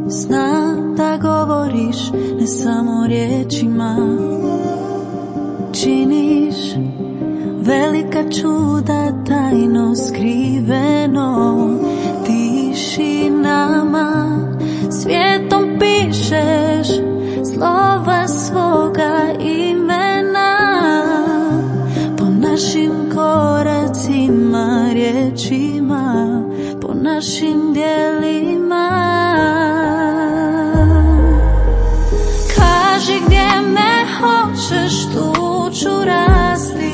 Znam da govoriš ne samo riječima, činiš velika čuda tajno skriveno tišinama, svijetom pišeš slova svoga imena, po našim koracima, riječima, po našim djelima. Kaži gdje me hoćeš, tu ću rasti,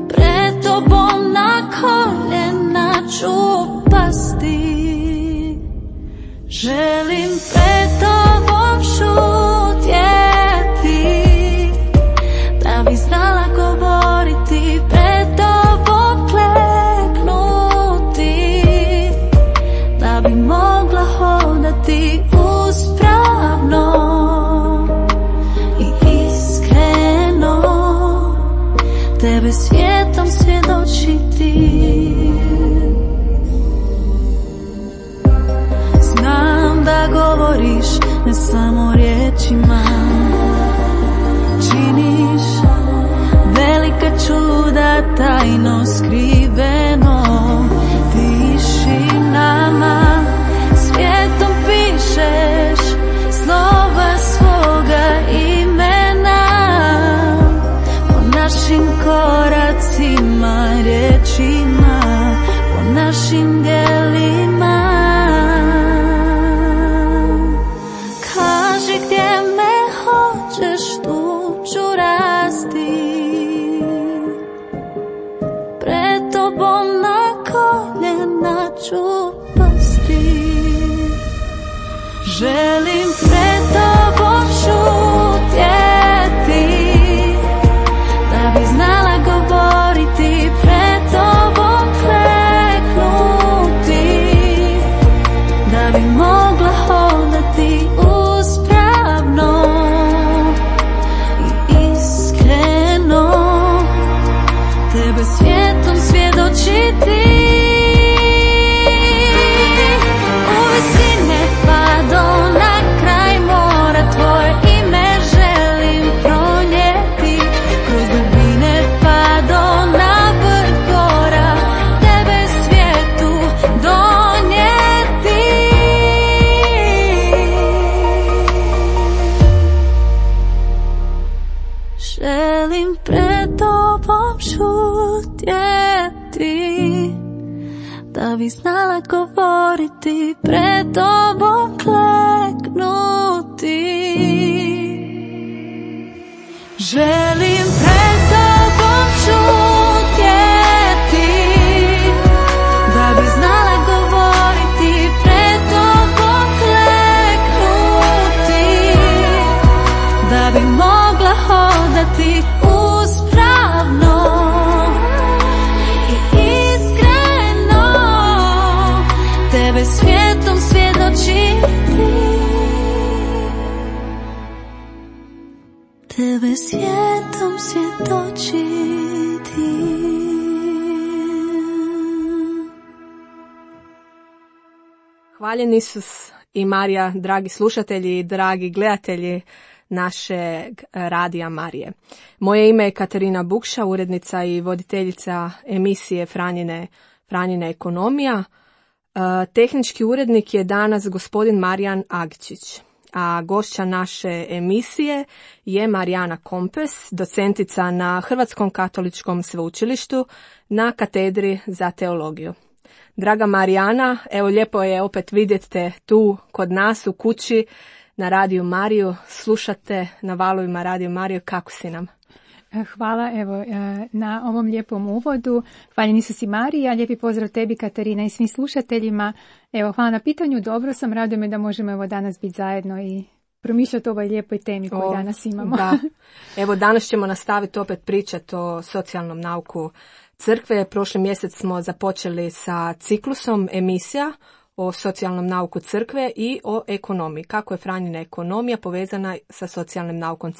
pred tobom na koljena ću pasti. Želim pred tobom šutjeti, da bi znala govoriti, pred tobom kleknuti, da bi mogla hodati uspravno i iskreno, tebe svijetom svjedočiti. Znam da govoriš ne samo riječima, činiš velika čuda tajno skriveno tišinama, svijetom pišeš slova svoga imena, po našim koracima, riječima, po našim djelima. Kaži gdje me hoćeš, tu ću rasti, pred tobom na koljena ću pasti. Želim pred tobom šutjeti, da bi znala govoriti, pred tobom kleknuti, da bi mogla hodati uspravno i iskreno, tebe svijetom svjedočiti. Želim pred tobom šutjeti, da bi znala govoriti, pred tobom kleknuti. Želim pred tobom šutjeti, da bi znala govoriti, pred tobom kleknuti, da bi mogla hodati uspravno i iskreno, tebe svijetom svjedočiti, tebe svijetom svjedočiti. Hvaljen Isus i Marija, dragi slušatelji i dragi gledatelji našeg radija Marije. Moje ime je Katarina Bukša, urednica i voditeljica emisije Franjina ekonomija. Tehnički urednik je danas gospodin Marijan Agičić, a gošća naše emisije je Marijana Kompes, docentica na Hrvatskom katoličkom sveučilištu na katedri za teologiju. Draga Marijana, evo lijepo je opet vidjeti te tu kod nas u kući na Radiju Mariju, slušate na valovima Radiju Mariju, kako si nam? Hvala evo na ovom lijepom uvodu. Hvaljen Isus i Marija, lijepi pozdrav tebi Katarina i svim slušateljima. Evo, hvala na pitanju, dobro sam, raduje me da možemo evo danas biti zajedno i promišljati o ovoj lijepoj temi koju danas imamo. Da. Evo danas ćemo nastaviti opet pričati o socijalnom nauku crkve. Prošli mjesec smo započeli sa ciklusom emisija o socijalnom nauku crkve i o ekonomiji. Kako je Franjina ekonomija povezana sa socijalnim naukom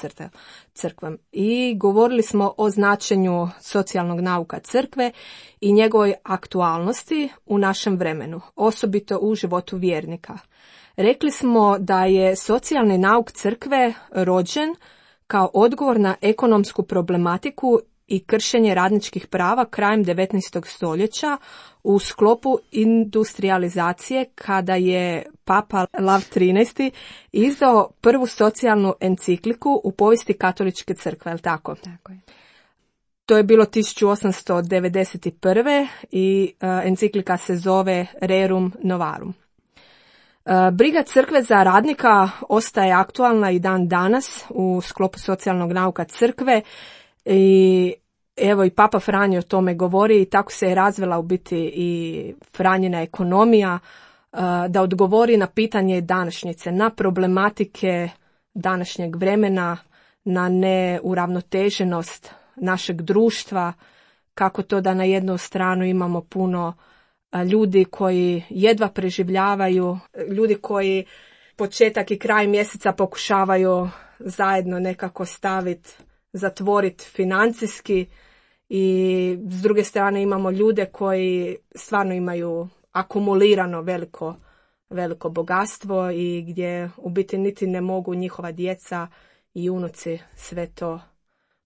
crkvom. I govorili smo o značenju socijalnog nauka crkve i njegovoj aktualnosti u našem vremenu, osobito u životu vjernika. Rekli smo da je socijalni nauk crkve rođen kao odgovor na ekonomsku problematiku i kršenje radničkih prava krajem 19. stoljeća u sklopu industrijalizacije, kada je Papa Lav XIII izdao prvu socijalnu encikliku u povijesti katoličke crkve, je li tako? Tako je. To je bilo 1891. i enciklika se zove Rerum Novarum. Briga crkve za radnika ostaje aktualna i dan danas u sklopu socijalnog nauka crkve i evo i Papa Franjo o tome govori i tako se je razvila u biti i Franjina ekonomija da odgovori na pitanje današnjice, na problematike današnjeg vremena, na neuravnoteženost našeg društva, kako to da na jednu stranu imamo puno ljudi koji jedva preživljavaju, ljudi koji početak i kraj mjeseca pokušavaju zajedno nekako zatvoriti financijski i s druge strane imamo ljude koji stvarno imaju akumulirano veliko bogatstvo i gdje u biti niti ne mogu njihova djeca i unuci sve to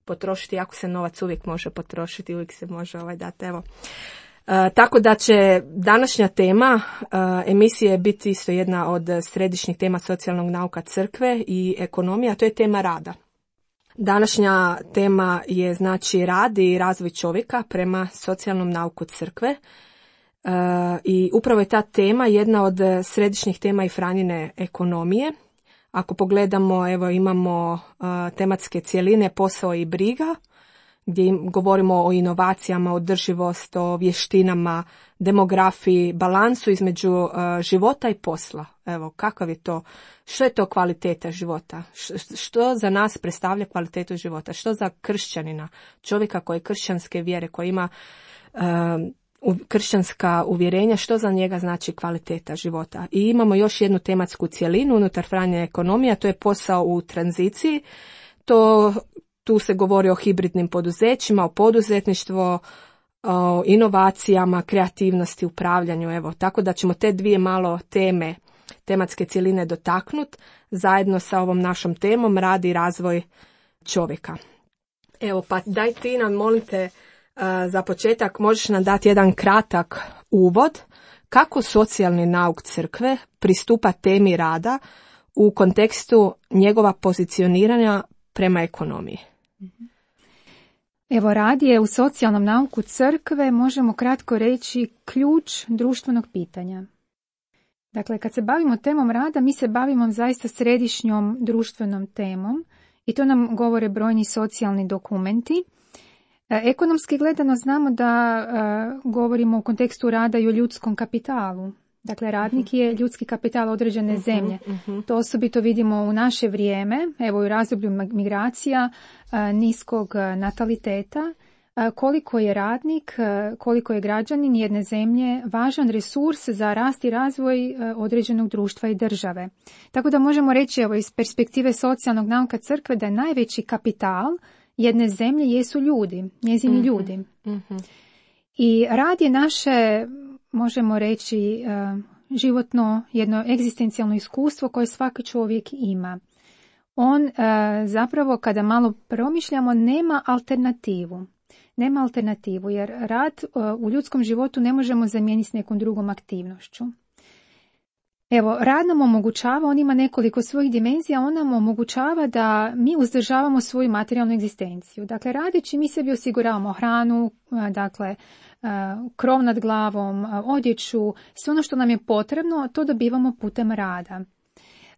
potrošiti, ako se novac uvijek može potrošiti, uvijek se može dati, evo. Tako da će današnja tema emisije biti isto jedna od središnjih tema socijalnog nauka crkve i ekonomija, to je tema rada. Današnja tema je znači rad i razvoj čovjeka prema socijalnom nauku crkve i upravo je ta tema jedna od središnjih tema i Franjine ekonomije. Ako pogledamo, evo imamo tematske cjeline posao i briga, gdje govorimo o inovacijama, održivost, o vještinama, demografiji, balansu između života i posla. Evo, kakav je to, što je to kvaliteta života? Što za nas predstavlja kvalitetu života? Što za kršćanina, čovjeka koji je kršćanske vjere, koji ima kršćanska uvjerenja, što za njega znači kvaliteta života? I imamo još jednu tematsku cjelinu unutar Franjine ekonomije, to je posao u tranziciji. Tu se govori o hibridnim poduzećima, o poduzetništvu, o inovacijama, kreativnosti, upravljanju. Evo, tako da ćemo te dvije malo tematske cjeline dotaknuti zajedno sa ovom našom temom rad i razvoj čovjeka. Evo, pa daj ti nam, molim te, za početak možeš nam dati jedan kratak uvod kako socijalni nauk crkve pristupa temi rada u kontekstu njegova pozicioniranja prema ekonomiji. Evo, rad je u socijalnom nauku crkve, možemo kratko reći, ključ društvenog pitanja. Dakle, kad se bavimo temom rada, mi se bavimo zaista središnjom društvenom temom i to nam govore brojni socijalni dokumenti. Ekonomski gledano znamo da govorimo u kontekstu rada i o ljudskom kapitalu. Dakle, radnik je ljudski kapital određene zemlje. To osobito vidimo u naše vrijeme, evo u razdoblju migracija, niskog nataliteta, koliko je radnik, koliko je građanin jedne zemlje važan resurs za rast i razvoj određenog društva i države. Tako da možemo reći, evo, iz perspektive socijalnog nauka crkve, da je najveći kapital jedne zemlje jesu ljudi, njezini ljudi. I rad je naše, možemo reći, životno, jedno egzistencijalno iskustvo koje svaki čovjek ima. On zapravo, kada malo promišljamo, nema alternativu. Nema alternativu, jer rad u ljudskom životu ne možemo zamijeniti s nekom drugom aktivnošću. Evo, rad nam omogućava, on ima nekoliko svojih dimenzija, on nam omogućava da mi uzdržavamo svoju materijalnu egzistenciju. Dakle, radeći mi sebi osiguravamo hranu, dakle, krov nad glavom, odjeću, sve ono što nam je potrebno, to dobivamo putem rada.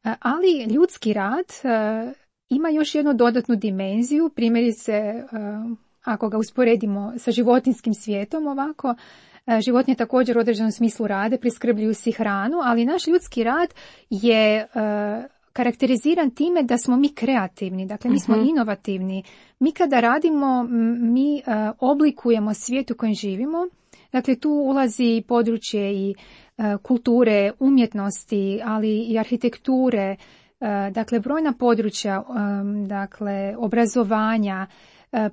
Ali ljudski rad ima još jednu dodatnu dimenziju, primjerice, ako ga usporedimo sa životinjskim svijetom ovako, životinje također u određenom smislu rade, priskrbljuju si hranu, ali naš ljudski rad je karakteriziran time da smo mi kreativni, dakle mi smo inovativni. Mi kada radimo, mi oblikujemo svijet u kojem živimo, dakle tu ulazi područje i kulture, umjetnosti, ali i arhitekture, dakle brojna područja, dakle obrazovanja,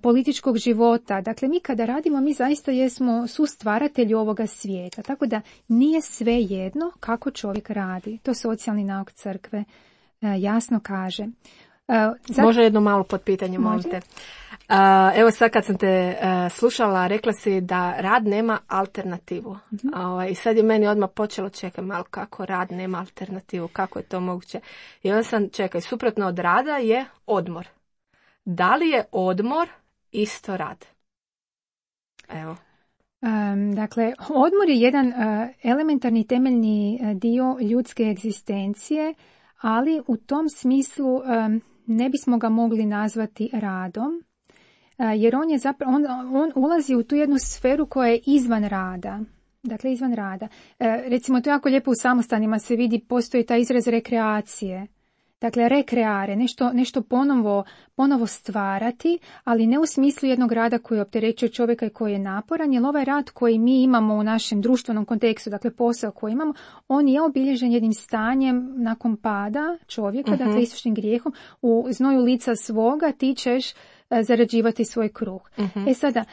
političkog života. Dakle, mi kada radimo, mi zaista jesmo sustvaratelji ovoga svijeta. Tako da nije sve jedno kako čovjek radi. To socijalni nauk crkve jasno kaže. Može jedno malo potpitanje, molim te. Evo sad kad sam te slušala, rekla si da rad nema alternativu. I sad je meni odmah počelo, čekaj malo, kako rad nema alternativu, kako je to moguće? I onda sam, čekaj, suprotno od rada je odmor. Da li je odmor isto rad? Evo. Dakle, odmor je jedan elementarni temeljni dio ljudske egzistencije, ali u tom smislu ne bismo ga mogli nazvati radom, jer on je zapravo, on ulazi u tu jednu sferu koja je izvan rada. Dakle, izvan rada. Recimo, to jako lijepo u samostanima se vidi, postoji taj izraz rekreacije. Dakle, rekreare, nešto ponovo stvarati, ali ne u smislu jednog rada koji opterećuje čovjeka i koji je naporan, jer ovaj rad koji mi imamo u našem društvenom kontekstu, dakle posao koji imamo, on je obilježen jednim stanjem nakon pada čovjeka, dakle istočnim grijehom, u znoju lica svoga ti ćeš zarađivati svoj kruh. Sada,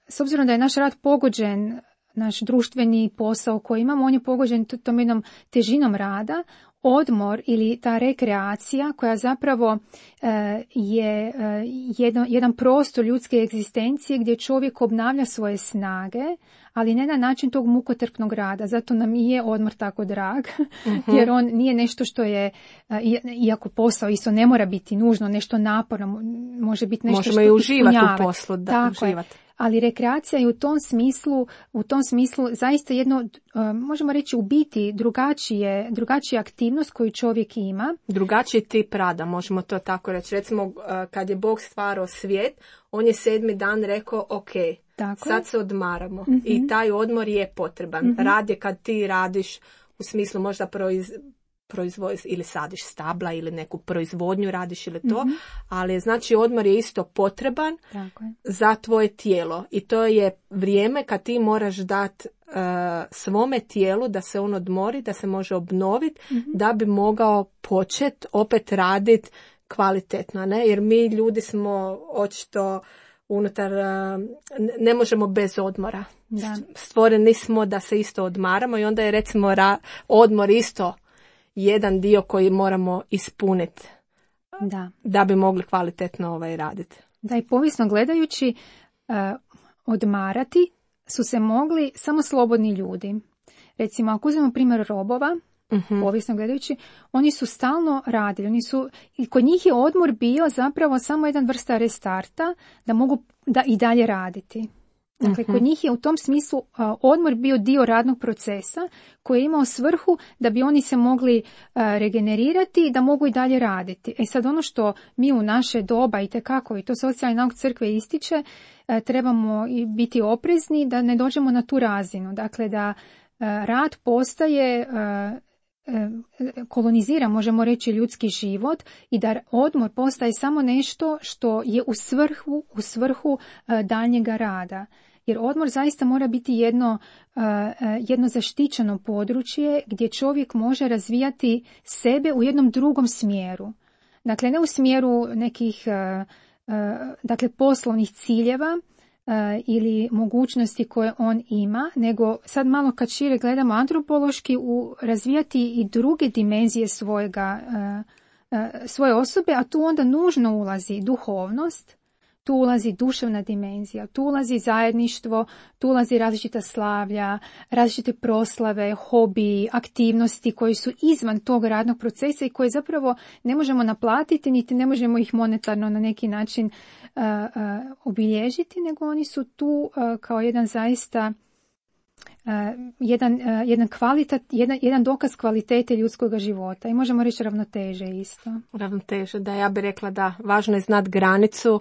s obzirom da je naš rad pogođen, naš društveni posao koji imamo, on je pogođen tom jednom težinom rada, odmor ili ta rekreacija koja zapravo je jedan prostor ljudske egzistencije gdje čovjek obnavlja svoje snage, ali ne na način tog mukotrpnog rada. Zato nam i je odmor tako drag, jer on nije nešto što je, iako posao isto ne mora biti nužno, nešto naporno, može biti nešto možemo što i uživati ispunjava. U poslu, da, uživati. Ali rekreacija je u tom smislu zaista jedno, možemo reći u biti, drugačija aktivnost koju čovjek ima. Drugačiji tip rada, možemo to tako reći. Recimo, kad je Bog stvarao svijet, on je 7. dan rekao, ok, sad se odmaramo. I taj odmor je potreban. Rad je kad ti radiš, u smislu možda proizvodiš ili sadiš stabla ili neku proizvodnju radiš ili to, ali znači odmor je isto potreban za tvoje tijelo i to je vrijeme kad ti moraš dati svome tijelu da se on odmori, da se može obnoviti, da bi mogao početi opet raditi kvalitetno, ne? Jer mi ljudi smo očito unutar, ne možemo bez odmora. Stvoreni smo da se isto odmaramo i onda je recimo odmor isto jedan dio koji moramo ispuniti da bi mogli kvalitetno raditi. Da, i povijesno gledajući, odmarati su se mogli samo slobodni ljudi. Recimo, ako uzmemo primjer robova, povijesno gledajući, oni su stalno radili. I kod njih je odmor bio zapravo samo jedan vrsta restarta da mogu i dalje raditi. Dakle, kod njih je u tom smislu odmor bio dio radnog procesa koji je imao svrhu da bi oni se mogli regenerirati i da mogu i dalje raditi. Sad ono što mi u naše doba i to socijalni nauk crkve ističe, trebamo i biti oprezni da ne dođemo na tu razinu. Dakle, da rad postaje kolonizira, možemo reći, ljudski život i da odmor postaje samo nešto što je u svrhu daljnjega rada. Jer odmor zaista mora biti jedno zaštićeno područje gdje čovjek može razvijati sebe u jednom drugom smjeru. Dakle, ne u smjeru nekih poslovnih ciljeva ili mogućnosti koje on ima, nego sad malo kad šire gledamo antropološki, razvijati i druge dimenzije svoje osobe, a tu onda nužno ulazi duhovnost, tu ulazi duševna dimenzija, tu ulazi zajedništvo, tu ulazi različita slavlja, različite proslave, hobiji, aktivnosti koji su izvan tog radnog procesa i koje zapravo ne možemo naplatiti, niti ne možemo ih monetarno na neki način obilježiti, nego oni su tu kao jedan zaista jedan dokaz kvalitete ljudskog života i možemo reći ravnoteže isto. Ravnoteže, da, ja bih rekla da važno je znati granicu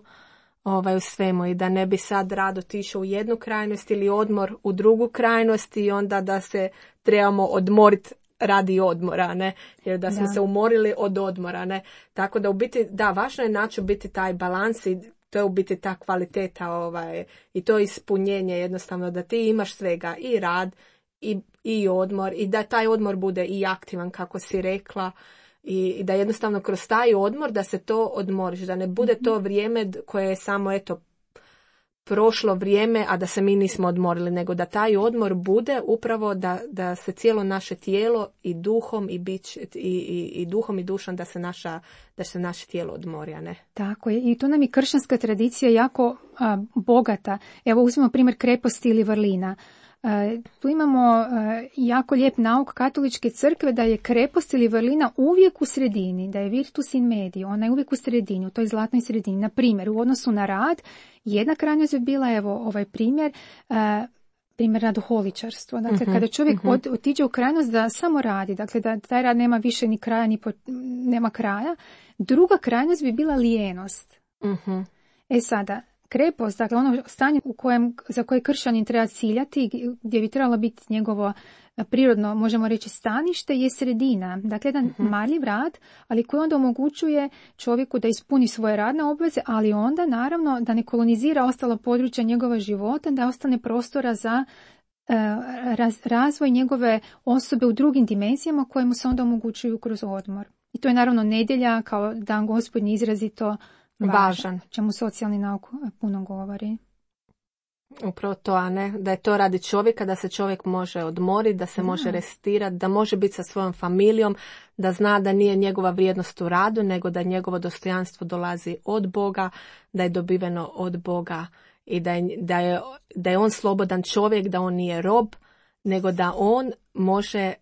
u svemu i da ne bi sad rad otišao u jednu krajnost ili odmor u drugu krajnost i onda da se trebamo odmoriti radi odmora, ne? Jer da smo se umorili od odmora, ne? Tako da u biti, da, važno je naći u biti taj balans i to je u biti ta kvaliteta i to ispunjenje jednostavno da ti imaš svega i rad i odmor i da taj odmor bude i aktivan, kako si rekla, i da jednostavno kroz taj odmor da se to odmoriš, da ne bude to vrijeme koje je samo prošlo vrijeme, a da se mi nismo odmorili, nego da taj odmor bude upravo da se cijelo naše tijelo i duhom i duhom i dušom da se naše tijelo odmori, a ne. Tako je. I tu nam je kršćanska tradicija jako bogata. Evo uzmemo primjer kreposti ili vrlina. Tu imamo jako lijep nauk katoličke crkve da je krepost ili vrlina uvijek u sredini, da je virtus in medio, ona je uvijek u sredini, u toj zlatnoj sredini. Na primjer, u odnosu na rad, jedna krajnost je bila, evo ovaj primjer radoholičarstvo. Dakle, kada čovjek otiđe u krajnost da samo radi, dakle da taj rad nema više ni kraja, nema kraja. Druga krajnost bi bila lijenost. Sada, krepost, dakle ono stanje za koje kršćanin treba ciljati, gdje bi trebalo biti njegovo prirodno, možemo reći, stanište, je sredina. Dakle, jedan marljiv rad, ali koji onda omogućuje čovjeku da ispuni svoje radne obveze, ali onda, naravno, da ne kolonizira ostala područja njegova života, da ostane prostora za razvoj njegove osobe u drugim dimenzijama koje mu se onda omogućuju kroz odmor. I to je, naravno, nedjelja kao dan Gospodnji izrazito važan, čemu socijalni nauk puno govori. Upravo to, a ne da je to radi čovjeka, da se čovjek može odmoriti, da se može restirati, da može biti sa svojom familijom, da zna da nije njegova vrijednost u radu, nego da njegovo dostojanstvo dolazi od Boga, da je dobiveno od Boga i da je on slobodan čovjek, da on nije rob, nego da on može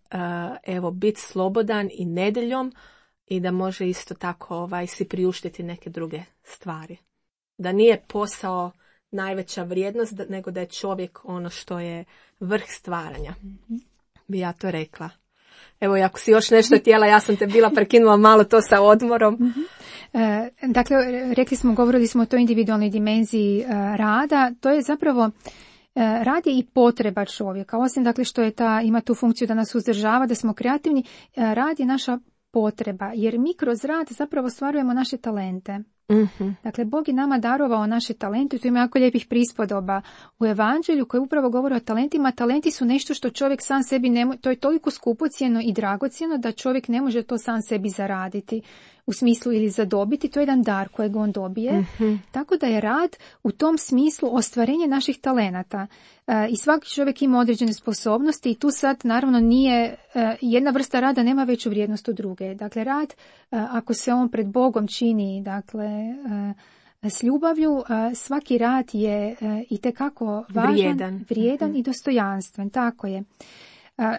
biti slobodan i nedjeljom i da može isto tako si priuštiti neke druge stvari. Da nije posao najveća vrijednost, nego da je čovjek ono što je vrh stvaranja. Bi ja to rekla. Evo, ako si još nešto htjela, ja sam te bila prekinula malo to sa odmorom. Dakle, govorili smo o toj individualnoj dimenziji rada. To je zapravo rad je i potreba čovjeka. Osim dakle što ima tu funkciju da nas uzdržava, da smo kreativni, rad je naša potreba, jer mi kroz rad zapravo stvarujemo naše talente. Dakle, Bog je nama darovao naše talente, tu ima jako lijepih prispodoba u Evanđelju koji upravo govore o talentima. Talenti su nešto što čovjek sam sebi to je toliko skupocjeno i dragocjeno da čovjek ne može to sam sebi zaraditi u smislu ili zadobiti, to je jedan dar kojeg on dobije. Tako da je rad u tom smislu ostvarenje naših talenata. I svaki čovjek ima određene sposobnosti i tu sad naravno nije, jedna vrsta rada nema veću vrijednost od druge. Dakle, rad, ako se on pred Bogom čini, dakle, s ljubavlju, svaki rad je itekako važan, vrijedan i dostojanstven, tako je.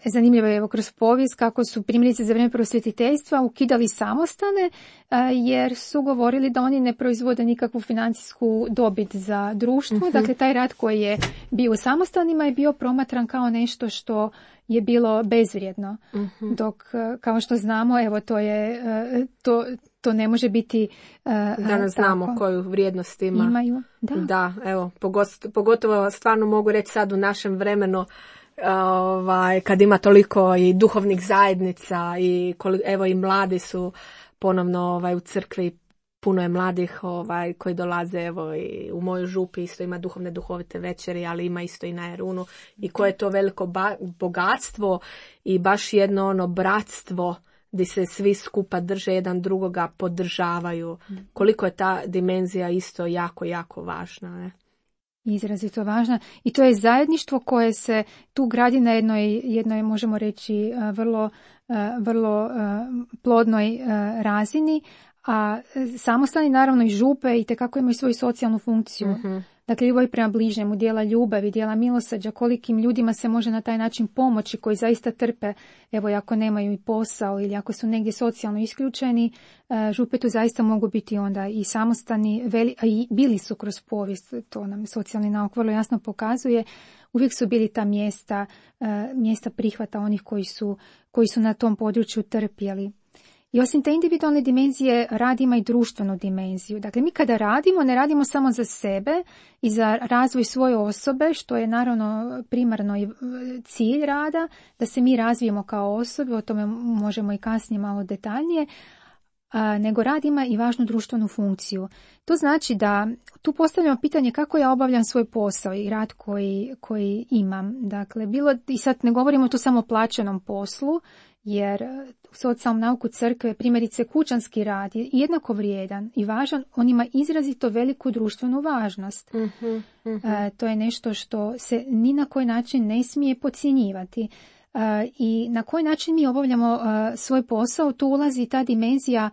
Zanimljivo je kroz povijest kako su primjerice za vrijeme prosvjetiteljstva ukidali samostane jer su govorili da oni ne proizvode nikakvu financijsku dobit za društvo. Dakle, taj rad koji je bio u samostanima je bio promatran kao nešto što je bilo bezvrijedno. Dok, kao što znamo, evo to je to ne može biti danas znamo koju vrijednost imaju. Da, evo, pogotovo stvarno mogu reći sad u našem vremenu kad ima toliko i duhovnih zajednica i evo i mladi su ponovno u crkvi, puno je mladih koji dolaze, evo i u mojoj župi isto ima duhovite večeri, ali ima isto i na Erunu i koje je to veliko bogatstvo i baš jedno bratstvo gdje se svi skupa drže, jedan drugoga podržavaju. Koliko je ta dimenzija isto jako, jako važna, ne? Izrazito važna. I to je zajedništvo koje se tu gradi na jednoj možemo reći, vrlo plodnoj razini, a samostani naravno i župe itekako imaju svoju socijalnu funkciju. Dakle, ljubav prema bližnjemu, dijela ljubavi, dijela milosrđa, kolikim ljudima se može na taj način pomoći koji zaista trpe, evo ako nemaju i posao ili ako su negdje socijalno isključeni, župe tu zaista mogu biti onda i samostani, a i bili su kroz povijest, to nam socijalni nauk vrlo jasno pokazuje, uvijek su bili ta mjesta prihvata onih koji su na tom području trpjeli. I osim te individualne dimenzije, rad ima i društvenu dimenziju. Dakle, mi kada radimo, ne radimo samo za sebe i za razvoj svoje osobe, što je naravno primarno i cilj rada, da se mi razvijemo kao osobe, o tome možemo i kasnije malo detaljnije, nego rad ima i važnu društvenu funkciju. To znači da tu postavljamo pitanje kako ja obavljam svoj posao i rad koji imam. Dakle, i sad ne govorimo tu samo o plaćenom poslu, jer u socijalnom nauku crkve primjerice kućanski rad je jednako vrijedan i važan, on ima izrazito veliku društvenu važnost. To je nešto što se ni na koji način ne smije podcjenjivati. I na koji način mi obavljamo svoj posao, tu ulazi ta dimenzija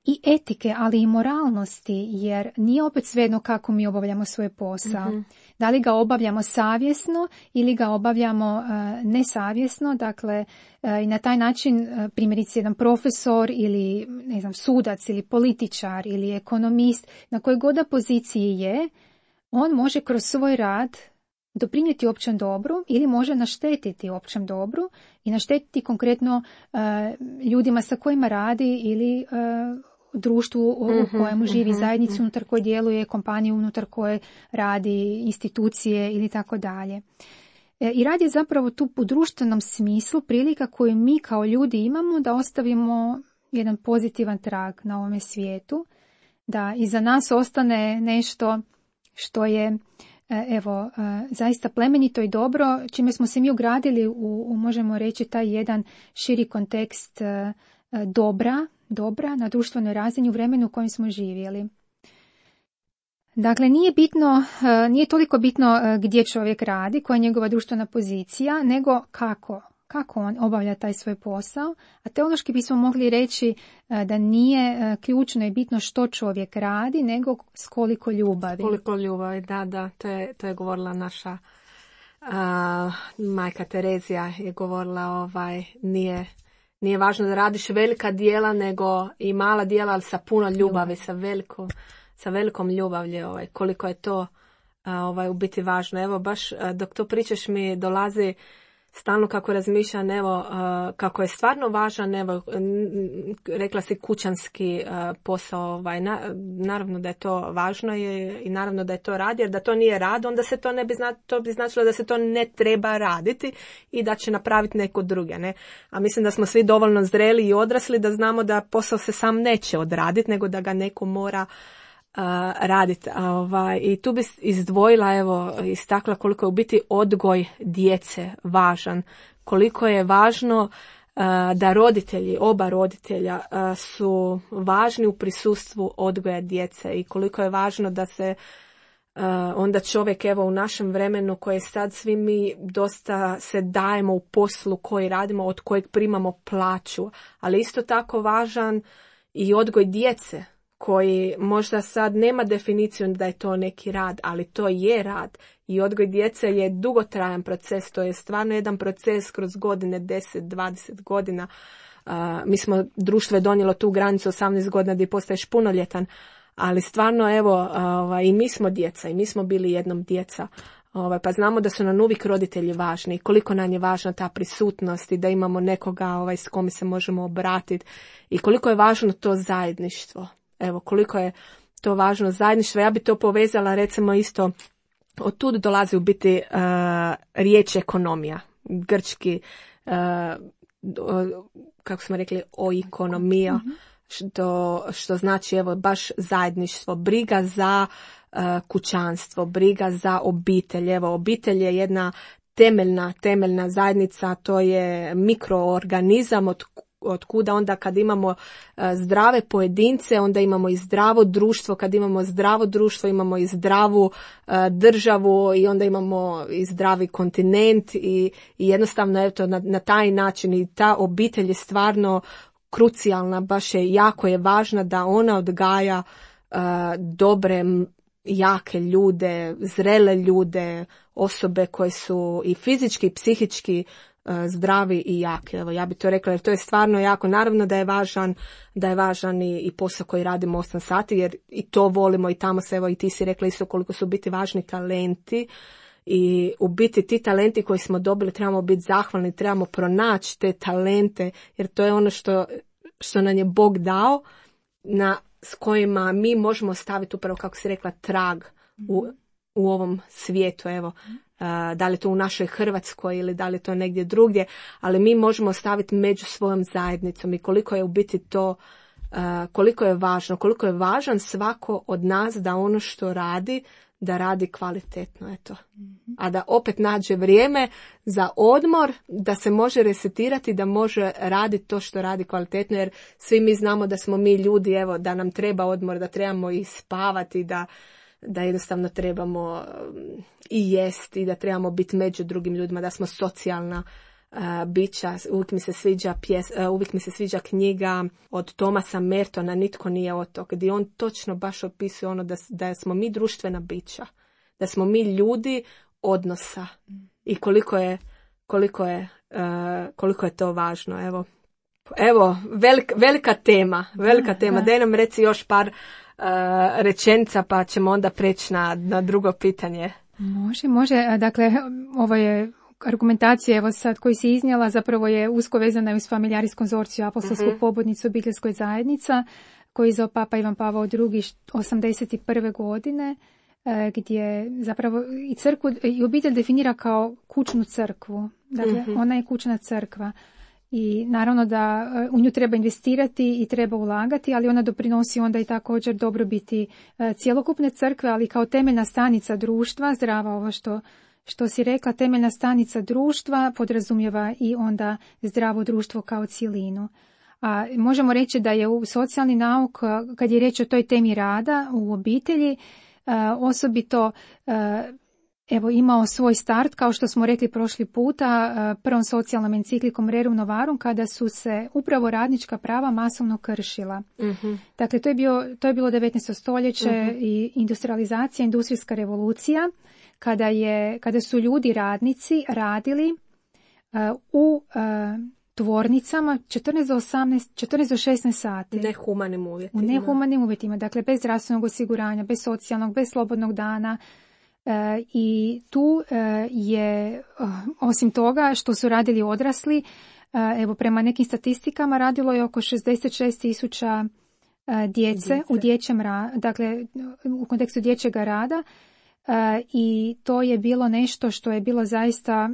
i etike, ali i moralnosti, jer nije opet svejedno kako mi obavljamo svoj posao. Da li ga obavljamo savjesno ili ga obavljamo nesavjesno, dakle i na taj način primjerice jedan profesor ili ne znam, sudac ili političar ili ekonomist, na kojoj god poziciji je, on može kroz svoj rad doprinijeti općem dobru ili može naštetiti općem dobru i naštetiti konkretno ljudima sa kojima radi ili društvu u kojemu živi, zajednicu unutar koje djeluje, kompaniju unutar koje radi, institucije ili tako dalje. I rad je zapravo tu u društvenom smislu prilika koju mi kao ljudi imamo da ostavimo jedan pozitivan trag na ovome svijetu, da iza nas ostane nešto što je zaista plemenito i dobro, čime smo se mi ugradili u možemo reći, taj jedan širi kontekst dobra na društvenoj razini u vremenu u kojem smo živjeli. Dakle, nije toliko bitno gdje čovjek radi, koja je njegova društvena pozicija, nego kako on obavlja taj svoj posao. A teološki bismo mogli reći da nije ključno i bitno što čovjek radi, nego s koliko ljubavi. Koliko ljubavi, da, to je govorila naša majka Terezija, je govorila nije važno da radiš velika djela, nego i mala djela, ali sa puno ljubavi, sa velikom ljubavlju, koliko je to u biti važno. Evo, baš dok to pričaš mi dolazi stalno kako razmišljam, kako je stvarno važan, rekla si kućanski posao, naravno da je to važno i naravno da je to rad, jer da to nije rad, onda se to bi značilo da se to ne treba raditi i da će napraviti neko druge, ne? A mislim da smo svi dovoljno zreli i odrasli da znamo da posao se sam neće odraditi, nego da ga neko mora raditi. I tu bi izdvojila, istakla koliko je u biti odgoj djece važan, koliko je važno da oba roditelja su važni u prisustvu odgoja djece i koliko je važno da se onda čovjek u našem vremenu koje sad svi mi dosta se dajemo u poslu koji radimo, od kojeg primamo plaću, ali isto tako važan i odgoj djece koji možda sad nema definiciju da je to neki rad, ali to je rad i odgoj djece je dugotrajan proces, to je stvarno jedan proces kroz godine, 10-20 godina. Društvo je donijelo tu granicu 18 godina gdje postaješ punoljetan, ali stvarno i mi smo djeca i mi smo bili jednom djeca. Pa znamo da su nam uvijek roditelji važni i koliko nam je važna ta prisutnost i da imamo nekoga s kome se možemo obratiti i koliko je važno to zajedništvo. Koliko je to važno zajedništvo. Ja bi to povezala recimo isto, od tud dolazi u biti riječ ekonomija. Grčki, kako smo rekli, oikonomija, što znači baš zajedništvo, briga za kućanstvo, briga za obitelj. Obitelj je jedna temeljna zajednica, to je mikroorganizam od kuda onda kad imamo zdrave pojedince, onda imamo i zdravo društvo, kad imamo zdravo društvo imamo i zdravu državu i onda imamo i zdravi kontinent i jednostavno na taj način i ta obitelj je stvarno krucijalna, baš je jako je važna da ona odgaja dobre, jake ljude, zrele ljude, osobe koje su i fizički i psihički zdravi i jaki. Ja bi to rekla jer to je stvarno jako. Naravno da je važan i posao koji radimo 8 sati jer i to volimo i tamo se i ti si rekla isto koliko su biti važni talenti i u biti ti talenti koji smo dobili trebamo biti zahvalni, trebamo pronaći te talente jer to je ono što nam je Bog dao s kojima mi možemo staviti upravo kako si rekla trag u ovom svijetu. Da li je to u našoj Hrvatskoj ili da li je to negdje drugdje, ali mi možemo staviti među svojom zajednicom i koliko je u biti to koliko je važno, koliko je važan svako od nas da ono što radi, da radi kvalitetno, eto. A da opet nađe vrijeme za odmor, da se može resetirati, da može raditi to što radi kvalitetno, jer svi mi znamo da smo mi ljudi, evo, da nam treba odmor, da trebamo i spavati, da jednostavno trebamo i jesti, da trebamo biti među drugim ljudima, da smo socijalna bića. Uvijek mi se sviđa knjiga od Thomasa Mertona, Nitko nije otok, gdje on točno baš opisuje ono da smo mi društvena bića, da smo mi ljudi odnosa i koliko je to važno. Evo velika tema. Da. Daj nam reci još par rečenica pa ćemo onda preći na drugo pitanje. Može. Dakle, ovo je argumentacija, evo sad koji si iznijela, zapravo je usko vezana uz Familiaris Consortio, apostolsku pobudnicu obiteljskoj zajednica, koju je izdao Papa Ivan Pavao II 81. godine, gdje zapravo i crkvu i obitelj definira kao kućnu crkvu. Dakle, ona je kućna crkva. I naravno da u nju treba investirati i treba ulagati, ali ona doprinosi onda i također dobrobiti cjelokupne crkve, ali kao temeljna stanica društva, zdrava ovo što si rekla, temeljna stanica društva podrazumijeva i onda zdravo društvo kao cjelinu. A možemo reći da je u socijalni nauk, kad je riječ o toj temi rada u obitelji, osobito imao svoj start, kao što smo rekli prošli puta, prvom socijalnom enciklikom Rerum Novarum, kada su se upravo radnička prava masovno kršila. Dakle, to je bilo 19. stoljeće i industrializacija, industrijska revolucija, kada su ljudi radnici radili u tvornicama 14 do 16 sati. U nehumanim uvjetima. Dakle, bez zdravstvenog osiguranja, bez socijalnog, bez slobodnog dana. I tu je, osim toga što su radili odrasli, prema nekim statistikama radilo je oko 66.000 djece u dječjem dakle u kontekstu dječjega rada, i to je bilo nešto što je bilo zaista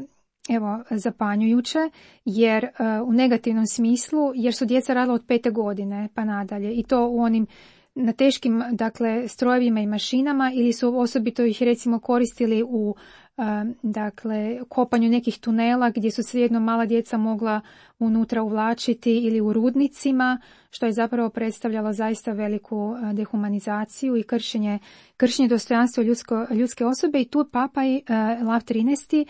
zapanjujuće, jer u negativnom smislu, jer su djeca radila od 5. godine pa nadalje, i to u onim na teškim, dakle, strojevima i mašinama, ili su osobito ih recimo koristili u kopanju nekih tunela gdje su svejedno mala djeca mogla unutra uvlačiti, ili u rudnicima, što je zapravo predstavljalo zaista veliku dehumanizaciju i kršenje dostojanstva ljudske osobe. I tu Papa Lav XIII,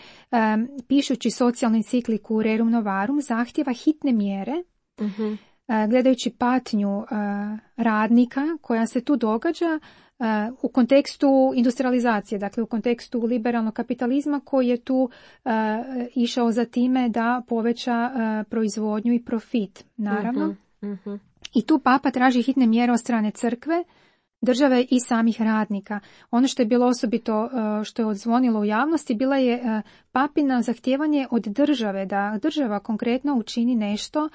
pišući socijalnu encikliku Rerum Novarum, zahtjeva hitne mjere, gledajući patnju radnika koja se tu događa u kontekstu industrializacije, dakle u kontekstu liberalnog kapitalizma koji je tu išao za time da poveća proizvodnju i profit, naravno. I tu Papa traži hitne mjere od strane crkve, države i samih radnika. Ono što je bilo osobito, što je odzvonilo u javnosti, bila je Papina zahtijevanje od države, da država konkretno učini nešto,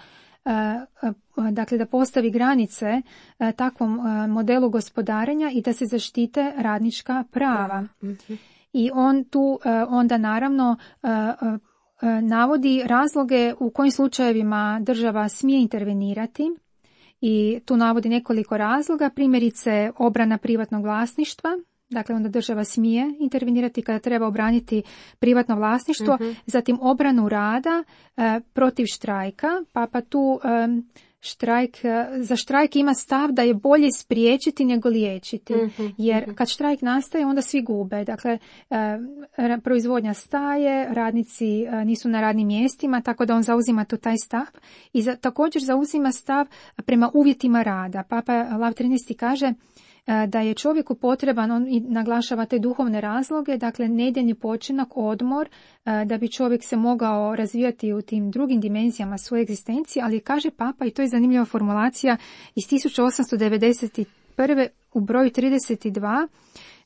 dakle da postavi granice takvom modelu gospodarenja i da se zaštite radnička prava. I on tu onda naravno navodi razloge u kojim slučajevima država smije intervenirati, i tu navodi nekoliko razloga, primjerice obrana privatnog vlasništva. Dakle, onda država smije intervenirati kada treba obraniti privatno vlasništvo, zatim obranu rada protiv štrajka. Papa tu za štrajk ima stav da je bolje spriječiti nego liječiti, jer kad štrajk nastaje onda svi gube. Dakle, proizvodnja staje, radnici nisu na radnim mjestima, tako da on zauzima tu taj stav i također zauzima stav prema uvjetima rada. Papa Lav XIII kaže da je čovjeku potreban, on i naglašava te duhovne razloge, dakle nedjeljni počinak, odmor, da bi čovjek se mogao razvijati u tim drugim dimenzijama svoje egzistencije, ali kaže Papa, i to je zanimljiva formulacija iz 1891. u broju 32,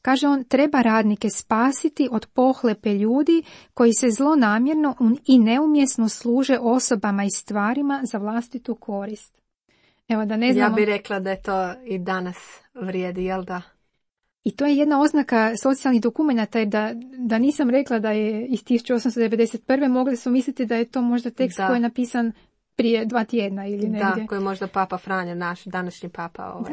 kaže on, treba radnike spasiti od pohlepe ljudi koji se zlonamjerno i neumjesno služe osobama i stvarima za vlastitu korist. Evo, da ne znamo... Ja bih rekla da je to i danas vrijedi, jel da? I to je jedna oznaka socijalnih dokumenata, jer da nisam rekla da je iz 1891. mogli su misliti da je to možda tekst koji je napisan prije 2 tjedna ili negdje. Da, koji je možda Papa Franjo, naš današnji Papa.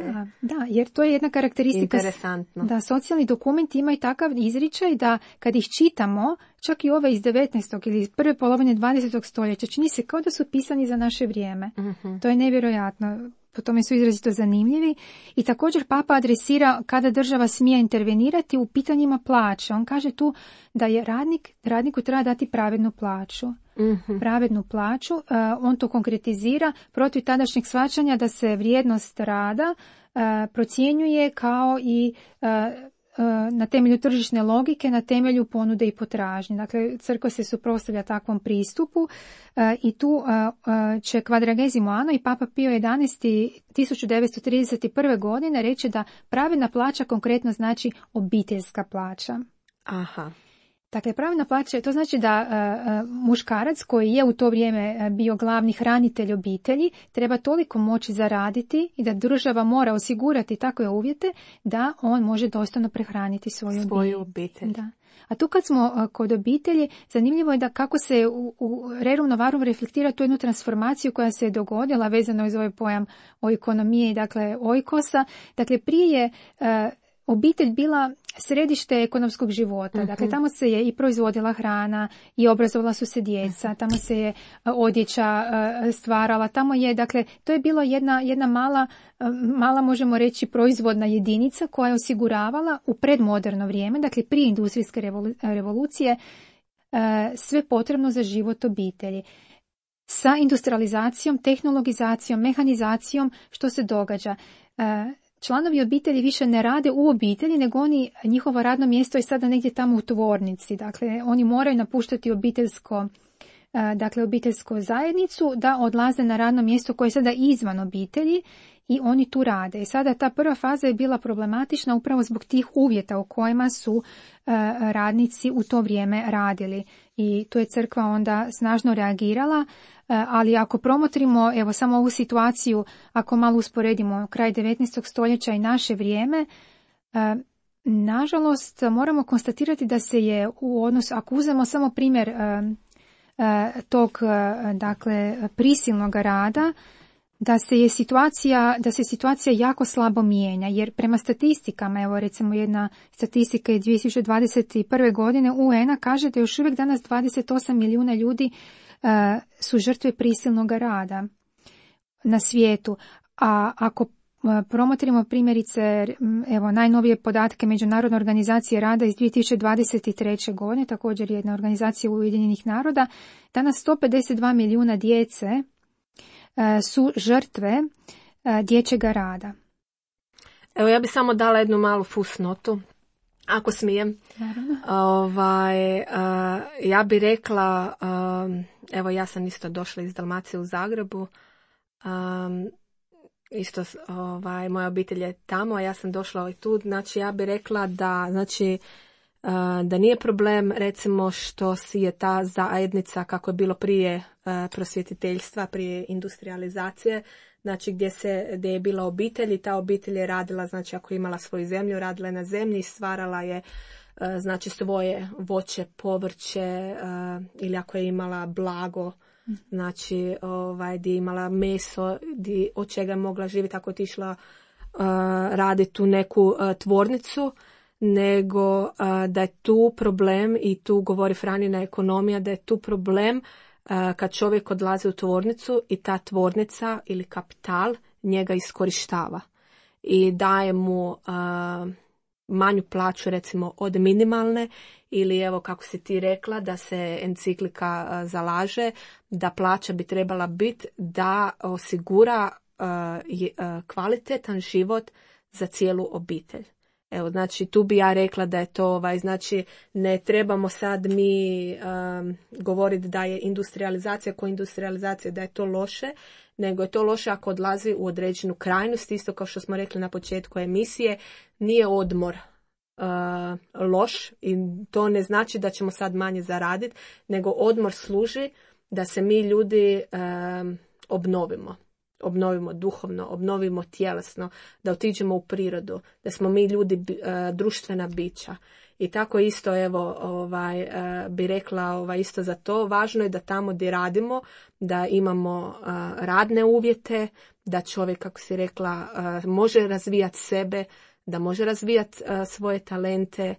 Da, jer to je jedna karakteristika. Interesantno. Da, socijalni dokumenti imaju takav izričaj da kad ih čitamo, čak i ove iz 19. ili iz prve polovine 20. stoljeća, čini se kao da su pisani za naše vrijeme. Mm-hmm. To je nevjerojatno. Po tome su izrazito zanimljivi. I također Papa adresira kada država smije intervenirati u pitanjima plaće. On kaže tu da je radniku treba dati pravednu plaću. Mm-hmm. Pravednu plaću. On to konkretizira protiv tadašnjeg shvaćanja da se vrijednost rada procjenjuje kao i na temelju tržišne logike, na temelju ponude i potražnje. Dakle, crkva se suprotstavlja takvom pristupu i tu će Quadragesimo Anno i Papa Pio XI 1931. godine reći da pravedna plaća konkretno znači obiteljska plaća. Aha. Dakle, pravedna plaća, to znači da muškarac koji je u to vrijeme bio glavni hranitelj obitelji treba toliko moći zaraditi i da država mora osigurati takve uvjete da on može dostojno prehraniti svoju obitelj. Da. A tu kad smo kod obitelji, zanimljivo je da kako se u Rerum Novarum reflektira tu jednu transformaciju koja se je dogodila vezano iz ovaj pojam o ekonomiji, dakle oikosa. Dakle, prije je obitelj bila središte ekonomskog života. Mm-hmm. Dakle, tamo se je i proizvodila hrana i obrazovala su se djeca, tamo se je odjeća stvarala, tamo je, dakle, to je bilo jedna mala, možemo reći, proizvodna jedinica koja je osiguravala u predmoderno vrijeme, dakle, prije industrijske revolucije, sve potrebno za život obitelji. Sa industrializacijom, tehnologizacijom, mehanizacijom, što se događa? Članovi obitelji više ne rade u obitelji, nego njihovo radno mjesto je sada negdje tamo u tvornici. Dakle, oni moraju napuštati obiteljsku zajednicu da odlaze na radno mjesto koje je sada izvan obitelji i oni tu rade. I sada ta prva faza je bila problematična upravo zbog tih uvjeta u kojima su radnici u to vrijeme radili. I tu je crkva onda snažno reagirala, ali ako promotrimo evo samo ovu situaciju, ako malo usporedimo kraj 19. stoljeća i naše vrijeme, nažalost moramo konstatirati da se je u odnosu, ako uzmemo samo primjer tog dakle prisilnog rada, da se situacija jako slabo mijenja, jer prema statistikama, evo recimo jedna statistika je 2021. godine UN-a kaže da još uvijek danas 28 milijuna ljudi su žrtve prisilnog rada na svijetu. A ako promotrimo primjerice, evo najnovije podatke Međunarodne organizacije rada iz 2023. godine, također jedna organizacija Ujedinjenih naroda, danas 152 milijuna djece su žrtve dječjega rada. Evo ja bih samo dala jednu malu fusnotu, ako smijem. Ja bih rekla, evo ja sam isto došla iz Dalmacije u Zagrebu, isto moja obitelj je tamo, a ja sam došla i tu, znači ja bih rekla da nije problem recimo što si je ta zajednica kako je bilo prije prosvjetiteljstva, prije industrializacije, znači gdje je bila obitelj i ta obitelj je radila, znači ako je imala svoju zemlju, radila je na zemlji i stvarala je znači svoje voće, povrće ili ako je imala blago, znači gdje je imala meso, od čega je mogla živjeti ako je otišla raditi u neku tvornicu, nego da je tu problem, i tu govori Franjina ekonomija, da je tu problem kad čovjek odlazi u tvornicu i ta tvornica ili kapital njega iskorištava i daje mu manju plaću recimo od minimalne, ili evo kako si ti rekla da se enciklika zalaže da plaća bi trebala biti da osigura kvalitetan život za cijelu obitelj. Evo, znači tu bi ja rekla da je to, znači ne trebamo sad mi govoriti da je industrializacija da je to loše, nego je to loše ako odlazi u određenu krajnost, isto kao što smo rekli na početku emisije, nije odmor loš i to ne znači da ćemo sad manje zaraditi, nego odmor služi da se mi ljudi obnovimo duhovno, obnovimo tjelesno, da otiđemo u prirodu, da smo mi ljudi društvena bića. I tako isto, evo, bi rekla isto za to. Važno je da tamo gdje radimo, da imamo radne uvjete, da čovjek, kako si rekla, može razvijati sebe, da može razvijati svoje talente,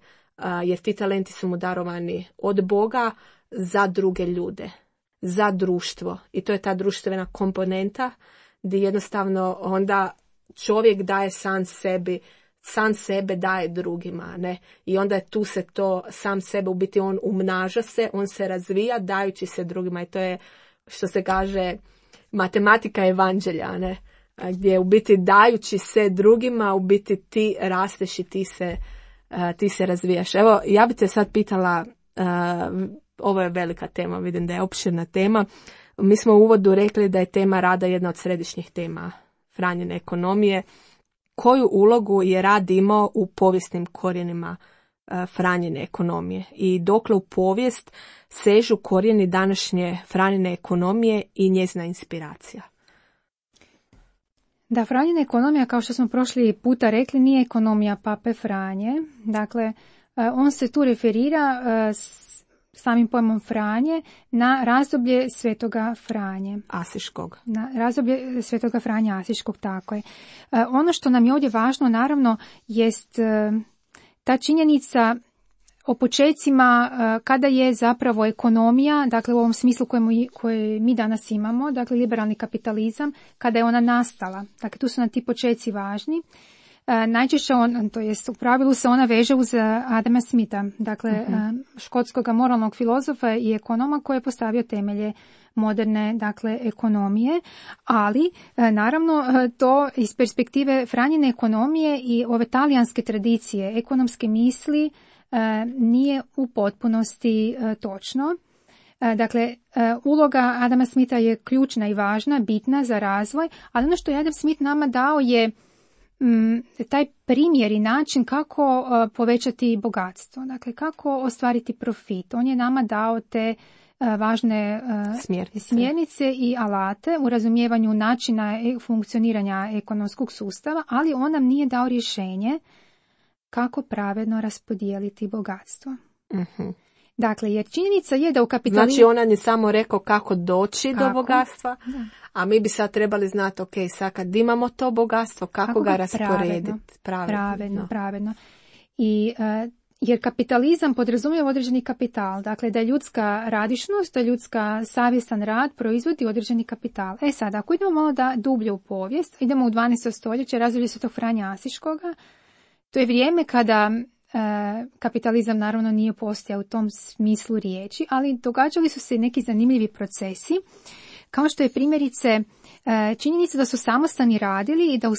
jer ti talenti su mu darovani od Boga za druge ljude, za društvo. I to je ta društvena komponenta gdje jednostavno onda čovjek daje sam sebe daje drugima, ne? I onda je tu se to, sam sebe, u biti on umnaža se, on se razvija dajući se drugima. I to je, što se kaže, matematika evanđelja, ne? Gdje u biti dajući se drugima, u biti ti rasteš i ti se razvijaš. Evo, ja bih te sad pitala, ovo je velika tema, vidim da je opširna tema. Mi smo u uvodu rekli da je tema rada jedna od središnjih tema Franjine ekonomije. Koju ulogu je rad imao u povijesnim korijenima Franjine ekonomije i dokle u povijest sežu korijeni današnje Franjine ekonomije i njezina inspiracija? Da, Franjina ekonomija, kao što smo prošli puta rekli, nije ekonomija Pape Franje. Dakle, on se tu referira samim pojmom Franje na razdoblje Svetoga Franje. Asiškog. Na razdoblje Svetoga Franja Asiškog, tako je. Ono što nam je ovdje važno, naravno, jest ta činjenica o počecima kada je zapravo ekonomija, dakle u ovom smislu koje mi danas imamo, dakle liberalni kapitalizam, kada je ona nastala. Dakle, tu su nam ti počeci važni. Najčešće u pravilu se ona veže uz Adama Smitha, dakle škotskog moralnog filozofa i ekonoma koji je postavio temelje moderne, dakle, ekonomije, ali naravno to iz perspektive Franjine ekonomije i ove talijanske tradicije ekonomske misli nije u potpunosti točno. Dakle, uloga Adama Smitha je ključna i važna, bitna za razvoj, ali ono što je Adam Smith nama dao je taj primjer i način kako povećati bogatstvo, dakle kako ostvariti profit. On je nama dao te važne smjernice i alate u razumijevanju načina funkcioniranja ekonomskog sustava, ali on nam nije dao rješenje kako pravedno raspodijeliti bogatstvo. Uh-huh. Dakle, jer činjenica je da u kapitalizmu... Znači, ona je samo rekao kako doći do bogatstva, a mi bi sad trebali znati, ok, sad kad imamo to bogatstvo, kako ga rasporediti? Pravedno. I, jer kapitalizam podrazumijeva određeni kapital, dakle da je ljudska radišnost, da je ljudska savjestan rad proizvodi određeni kapital. Sad, ako idemo malo dublje u povijest, idemo u 12. stoljeće, razdoblje Svetog Franja Asiškoga, to je vrijeme kada kapitalizam naravno nije postojao u tom smislu riječi, ali događali su se neki zanimljivi procesi, kao što je primjerice činjenica da su samostani radili i da u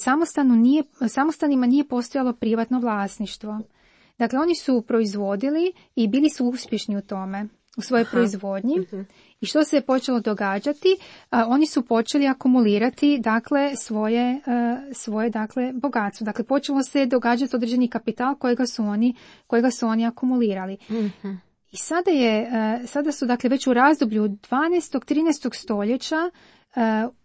samostanima nije postojalo privatno vlasništvo. Dakle, oni su proizvodili i bili su uspješni u tome, u svojoj proizvodnji. Uh-huh. I što se je počelo događati? Oni su počeli akumulirati, dakle, svoje dakle, bogatstvo. Dakle, počelo se događati određeni kapital kojega su oni akumulirali. Uh-huh. I sada su, dakle, već u razdoblju 12. 13. stoljeća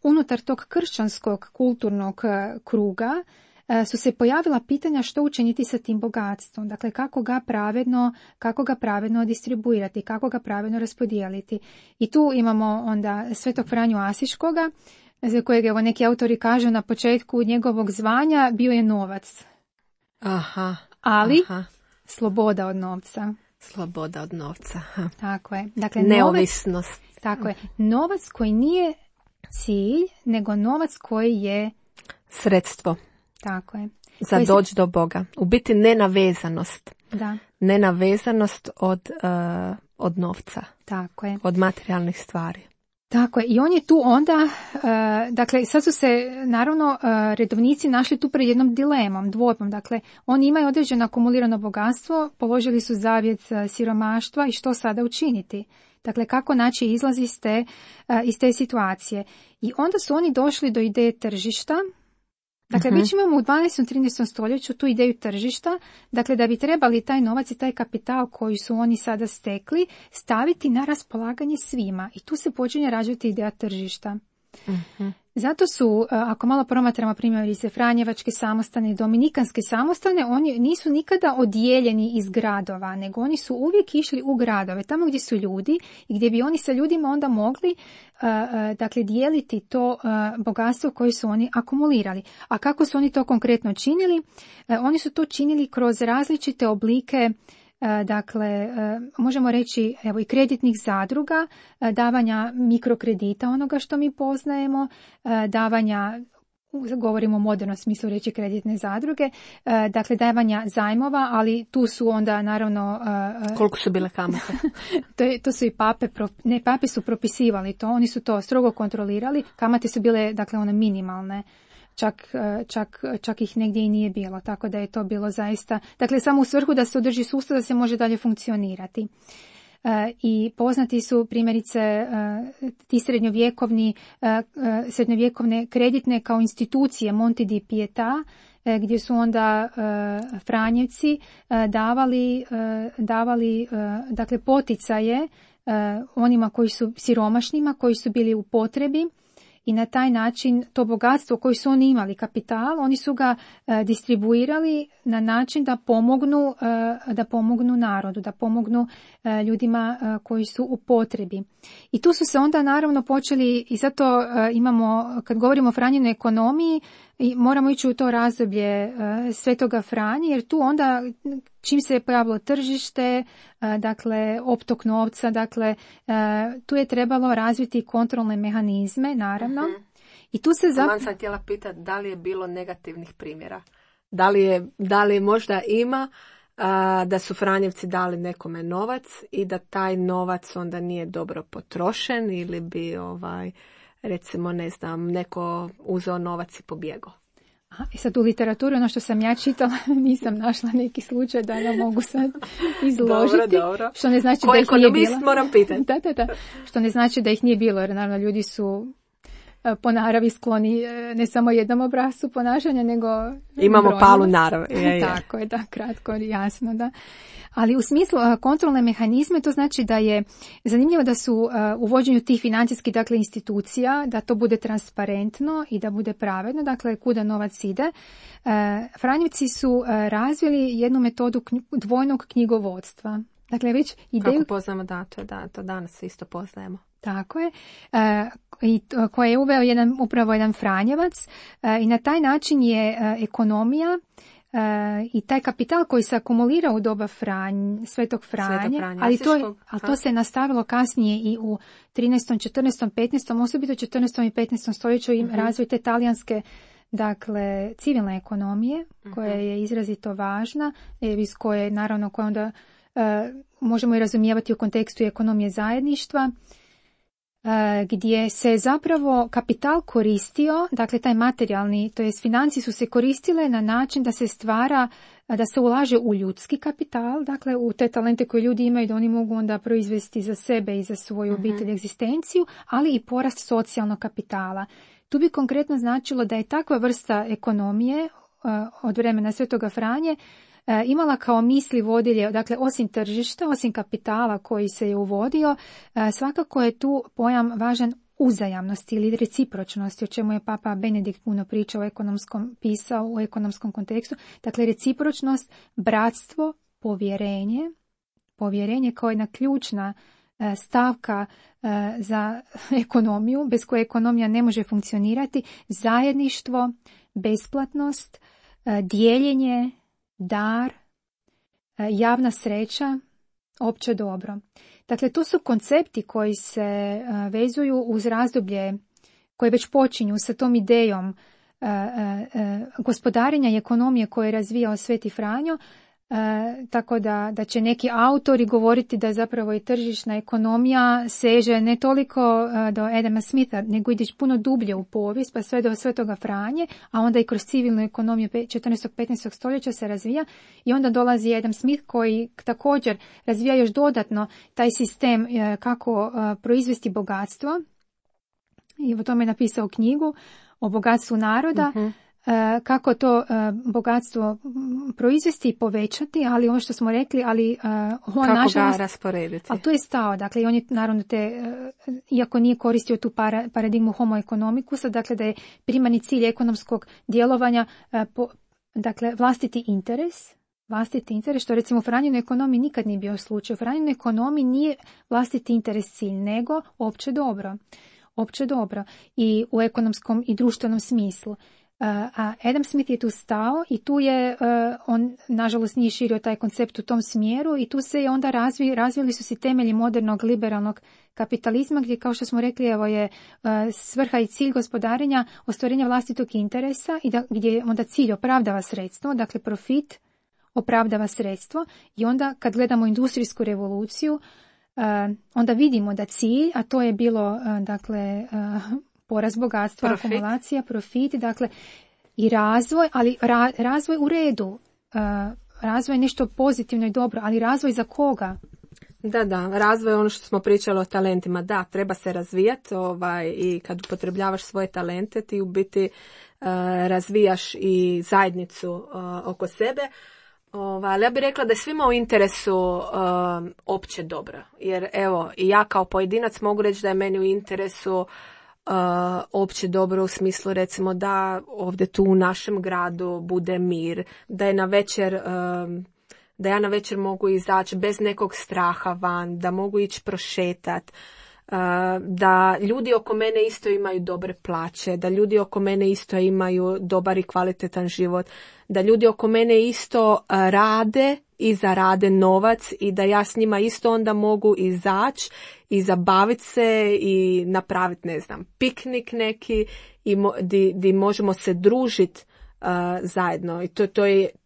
unutar tog kršćanskog kulturnog kruga su se pojavila pitanja što učiniti sa tim bogatstvom. Dakle, kako ga pravedno distribuirati, kako ga pravedno raspodijeliti. I tu imamo onda Svetog Franju Asiškoga, za kojeg evo neki autori kažu na početku njegovog zvanja bio je novac. Ali sloboda od novca. Sloboda od novca. Tako je. Dakle, neovisnost. Tako je. Novac koji nije cilj, nego novac koji je sredstvo. Tako je. Za doći do Boga. U biti nenavezanost. Da. Nenavezanost od novca. Tako je. Od materijalnih stvari. Tako je. I on je tu onda, dakle, sad su se naravno redovnici našli tu pred jednom dilemom, dvojbom. Dakle, oni imaju određeno akumulirano bogatstvo, položili su zavjet siromaštva i što sada učiniti. Dakle, kako naći izlaz iz te situacije. I onda su oni došli do ideje tržišta. Dakle, već imamo u 12. 13. stoljeću tu ideju tržišta, dakle da bi trebali taj novac i taj kapital koji su oni sada stekli staviti na raspolaganje svima. I tu se počinje rađati ideja tržišta. Zato su, ako malo promatramo primjerice Franjevačke samostane i Dominikanske samostane, oni nisu nikada odijeljeni iz gradova, nego oni su uvijek išli u gradove, tamo gdje su ljudi i gdje bi oni sa ljudima onda mogli dakle dijeliti to bogatstvo koje su oni akumulirali. A kako su oni to konkretno činili? Oni su to činili kroz različite oblike, dakle, možemo reći evo i kreditnih zadruga, davanja mikrokredita, onoga što mi poznajemo, davanja, govorimo o modernom smislu reći kreditne zadruge, dakle davanja zajmova, ali tu su onda naravno... Koliko su bile kamate? To su i pape su propisivali to, oni su to strogo kontrolirali, kamate su bile dakle one minimalne. Čak ih negdje i nije bilo, tako da je to bilo zaista, dakle samo u svrhu da se održi sustav, da se može dalje funkcionirati. I poznati su primjerice ti srednjovjekovne kreditne kao institucije Monte di Pietà, gdje su onda Franjevci davali dakle poticaje onima koji su siromašnima, koji su bili u potrebi. I na taj način to bogatstvo koje su oni imali, kapital, oni su ga distribuirali na način da pomognu narodu, da pomognu ljudima koji su u potrebi. I tu su se onda naravno počeli, i zato imamo, kad govorimo o Franjinoj ekonomiji, moramo ići u to razdoblje Svetoga Franje, jer tu onda čim se je pojavilo tržište, dakle optok novca, dakle tu je trebalo razviti kontrolne mehanizme, naravno. I tu se sam htjela pitati da li je bilo negativnih primjera. Da li možda ima da su Franjevci dali nekome novac i da taj novac onda nije dobro potrošen ili bi recimo ne znam neko uzeo novac i pobjegao. I sad u literaturi, ono što sam ja čitala, nisam našla neki slučaj da ja mogu sad izložiti. Dobro. Što ne znači da ih nije bilo. Moram pitati. Da. Što ne znači da ih nije bilo, jer naravno ljudi su po naravi skloni ne samo jednom obrascu ponašanja, nego imamo palu narav. Tako je, da, kratko, jasno, da. Ali u smislu kontrolne mehanizme, to znači da je zanimljivo da su u vođenju tih financijskih dakle institucija, da to bude transparentno i da bude pravedno, dakle kuda novac ide. Franjevci su razvili jednu metodu dvojnog knjigovodstva. Dakle, već ideju... Kako poznamo to danas isto poznajemo. Tako je. I koje je uveo upravo jedan Franjevac i na taj način je ekonomija i taj kapital koji se akumulira u doba Svetog Franje, ali to se nastavilo kasnije i u 13., 14., 15., osobito 14. i 15. stoljeću im razvoj te talijanske dakle civilne ekonomije koja je izrazito važna, iz koje naravno koja onda možemo i razumijevati u kontekstu ekonomije zajedništva, gdje se zapravo kapital koristio, dakle taj materijalni, to jest financije su se koristile na način da se stvara, da se ulaže u ljudski kapital, dakle u te talente koje ljudi imaju da oni mogu onda proizvesti za sebe i za svoju obitelj egzistenciju, ali i porast socijalnog kapitala. Tu bi konkretno značilo da je takva vrsta ekonomije od vremena Svetoga Franje imala kao misli vodilje, dakle osim tržišta, osim kapitala koji se je uvodio, svakako je tu pojam važan uzajamnosti ili recipročnosti, o čemu je Papa Benedikt puno pričao pisao u ekonomskom kontekstu. Dakle, recipročnost, bratstvo, povjerenje kao jedna ključna stavka za ekonomiju, bez koje ekonomija ne može funkcionirati, zajedništvo, besplatnost, dijeljenje, dar, javna sreća, opće dobro. Dakle, to su koncepti koji se vezuju uz razdoblje koje već počinju sa tom idejom gospodarenja i ekonomije koje je razvijao Sveti Franjo, tako da će neki autori govoriti da zapravo i tržišna ekonomija seže ne toliko do Adama Smitha, nego ide puno dublje u povijest, pa sve do Svetoga Franje, a onda i kroz civilnu ekonomiju 14. 15. stoljeća se razvija i onda dolazi Adam Smith koji također razvija još dodatno taj sistem kako proizvesti bogatstvo i o tome je napisao knjigu o bogatstvu naroda. kako to bogatstvo proizvesti i povećati, ali ono što smo rekli, ali on kako nažalost, ga rasporediti. ali tu je stao, dakle i on je naravno iako nije koristio tu paradigmu homo economicus, dakle da je primarni cilj ekonomskog djelovanja dakle vlastiti interes, što recimo u Franjinoj ekonomiji nikad nije bio slučaj. U Franjinoj ekonomiji nije vlastiti interes cilj, nego opće dobro i u ekonomskom i društvenom smislu. A Adam Smith je tu stao i tu je, on nažalost nije širio taj koncept u tom smjeru i tu se je onda razvili su se temelji modernog liberalnog kapitalizma gdje, kao što smo rekli, evo je svrha i cilj gospodarenja ostvarenja vlastitog interesa i gdje onda cilj opravdava sredstvo, dakle profit opravdava sredstvo i onda kad gledamo industrijsku revoluciju onda vidimo da cilj, a to je bilo dakle porast bogatstva, akumulacija, profit, dakle i razvoj, ali razvoj u redu, razvoj je nešto pozitivno i dobro, ali razvoj za koga? Da, razvoj je ono što smo pričali o talentima, da, treba se razvijati i kad upotrebljavaš svoje talente ti u biti razvijaš i zajednicu oko sebe. Ali ja bih rekla da je svima u interesu opće dobro, jer evo i ja kao pojedinac mogu reći da je meni u interesu opće dobro u smislu recimo da ovdje tu u našem gradu bude mir, da je da ja na večer mogu izaći bez nekog straha van, da mogu ići prošetat, da ljudi oko mene isto imaju dobre plaće, da ljudi oko mene isto imaju dobar i kvalitetan život, da ljudi oko mene isto rade i zarade novac i da ja s njima isto onda mogu izaći i zabaviti se i napraviti, ne znam, piknik neki i di možemo se družiti zajedno. I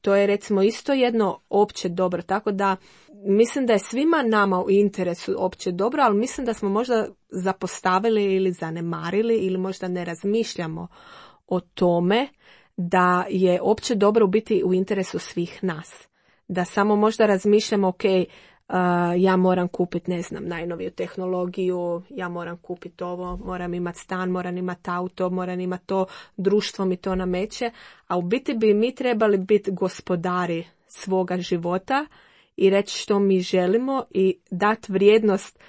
to je recimo isto jedno opće dobro. Tako da mislim da je svima nama u interesu opće dobro, ali mislim da smo možda zapostavili ili zanemarili ili možda ne razmišljamo o tome da je opće dobro u biti u interesu svih nas. Da samo možda razmišljamo, ok, ja moram kupiti, ne znam, najnoviju tehnologiju, ja moram kupiti ovo, moram imati stan, moram imati auto, moram imati to, društvo mi to nameće, a u biti bi mi trebali biti gospodari svoga života i reći što mi želimo i dati vrijednost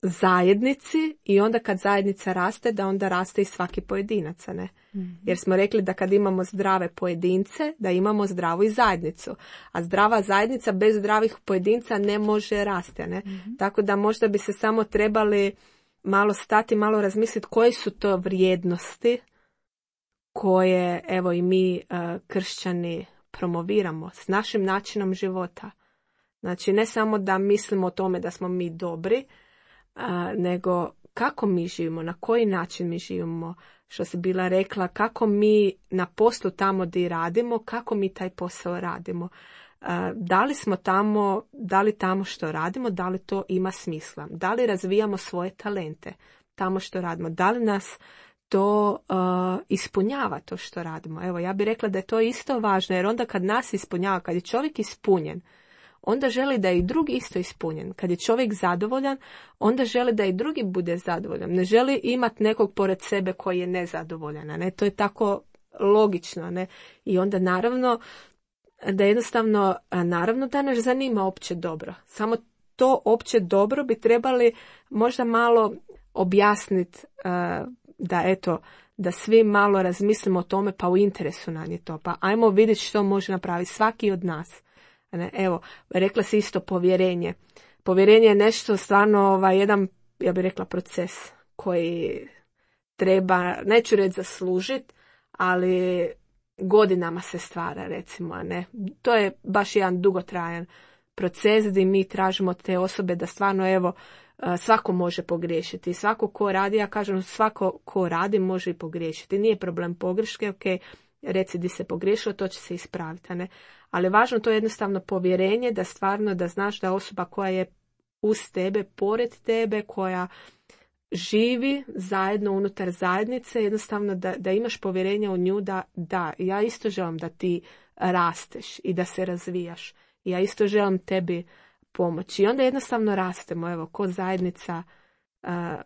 zajednici i onda kad zajednica raste, da onda raste i svaki pojedinac, ne? Mm-hmm. Jer smo rekli da kad imamo zdrave pojedince, da imamo zdravu i zajednicu. A zdrava zajednica bez zdravih pojedinca ne može rasti, ne? Mm-hmm. Tako da možda bi se samo trebali malo stati, malo razmisliti koje su to vrijednosti koje, evo i mi kršćani promoviramo s našim načinom života. Znači ne samo da mislimo o tome da smo mi dobri, nego kako mi živimo, na koji način mi živimo, što si bila rekla, kako mi na poslu tamo gdje radimo, kako mi taj posao radimo. Da li smo tamo, da li tamo što radimo, da li to ima smisla, da li razvijamo svoje talente tamo što radimo, da li nas to ispunjava to što radimo. Evo, ja bih rekla da je to isto važno, jer onda kad nas ispunjava, kad je čovjek ispunjen, onda želi da je i drugi isto ispunjen. Kad je čovjek zadovoljan, onda želi da i drugi bude zadovoljan. Ne želi imati nekog pored sebe koji je nezadovoljan. Ne? To je tako logično. Ne? I onda naravno da jednostavno, naravno da nas zanima opće dobro. Samo to opće dobro bi trebali možda malo objasniti da svi malo razmislimo o tome, pa u interesu nam je to. Pa ajmo vidjeti što može napraviti svaki od nas. Evo, rekla si isto povjerenje. Povjerenje je nešto stvarno jedan, ja bih rekla, proces koji treba, neću reći zaslužiti, ali godinama se stvara, recimo, ne. To je baš jedan dugotrajan proces gdje mi tražimo od te osobe da stvarno, evo, svako može pogriješiti. Svako ko radi, ja kažem, svako ko radi može i pogriješiti. Nije problem pogreške, ok, reci di se pogriješilo, to će se ispraviti, ne. Ali važno to je jednostavno povjerenje da stvarno da znaš da osoba koja je uz tebe, pored tebe, koja živi zajedno unutar zajednice, jednostavno da imaš povjerenje u nju da ja isto želim da ti rasteš i da se razvijaš. Ja isto želim tebi pomoći. I onda jednostavno rastemo, evo, ko zajednica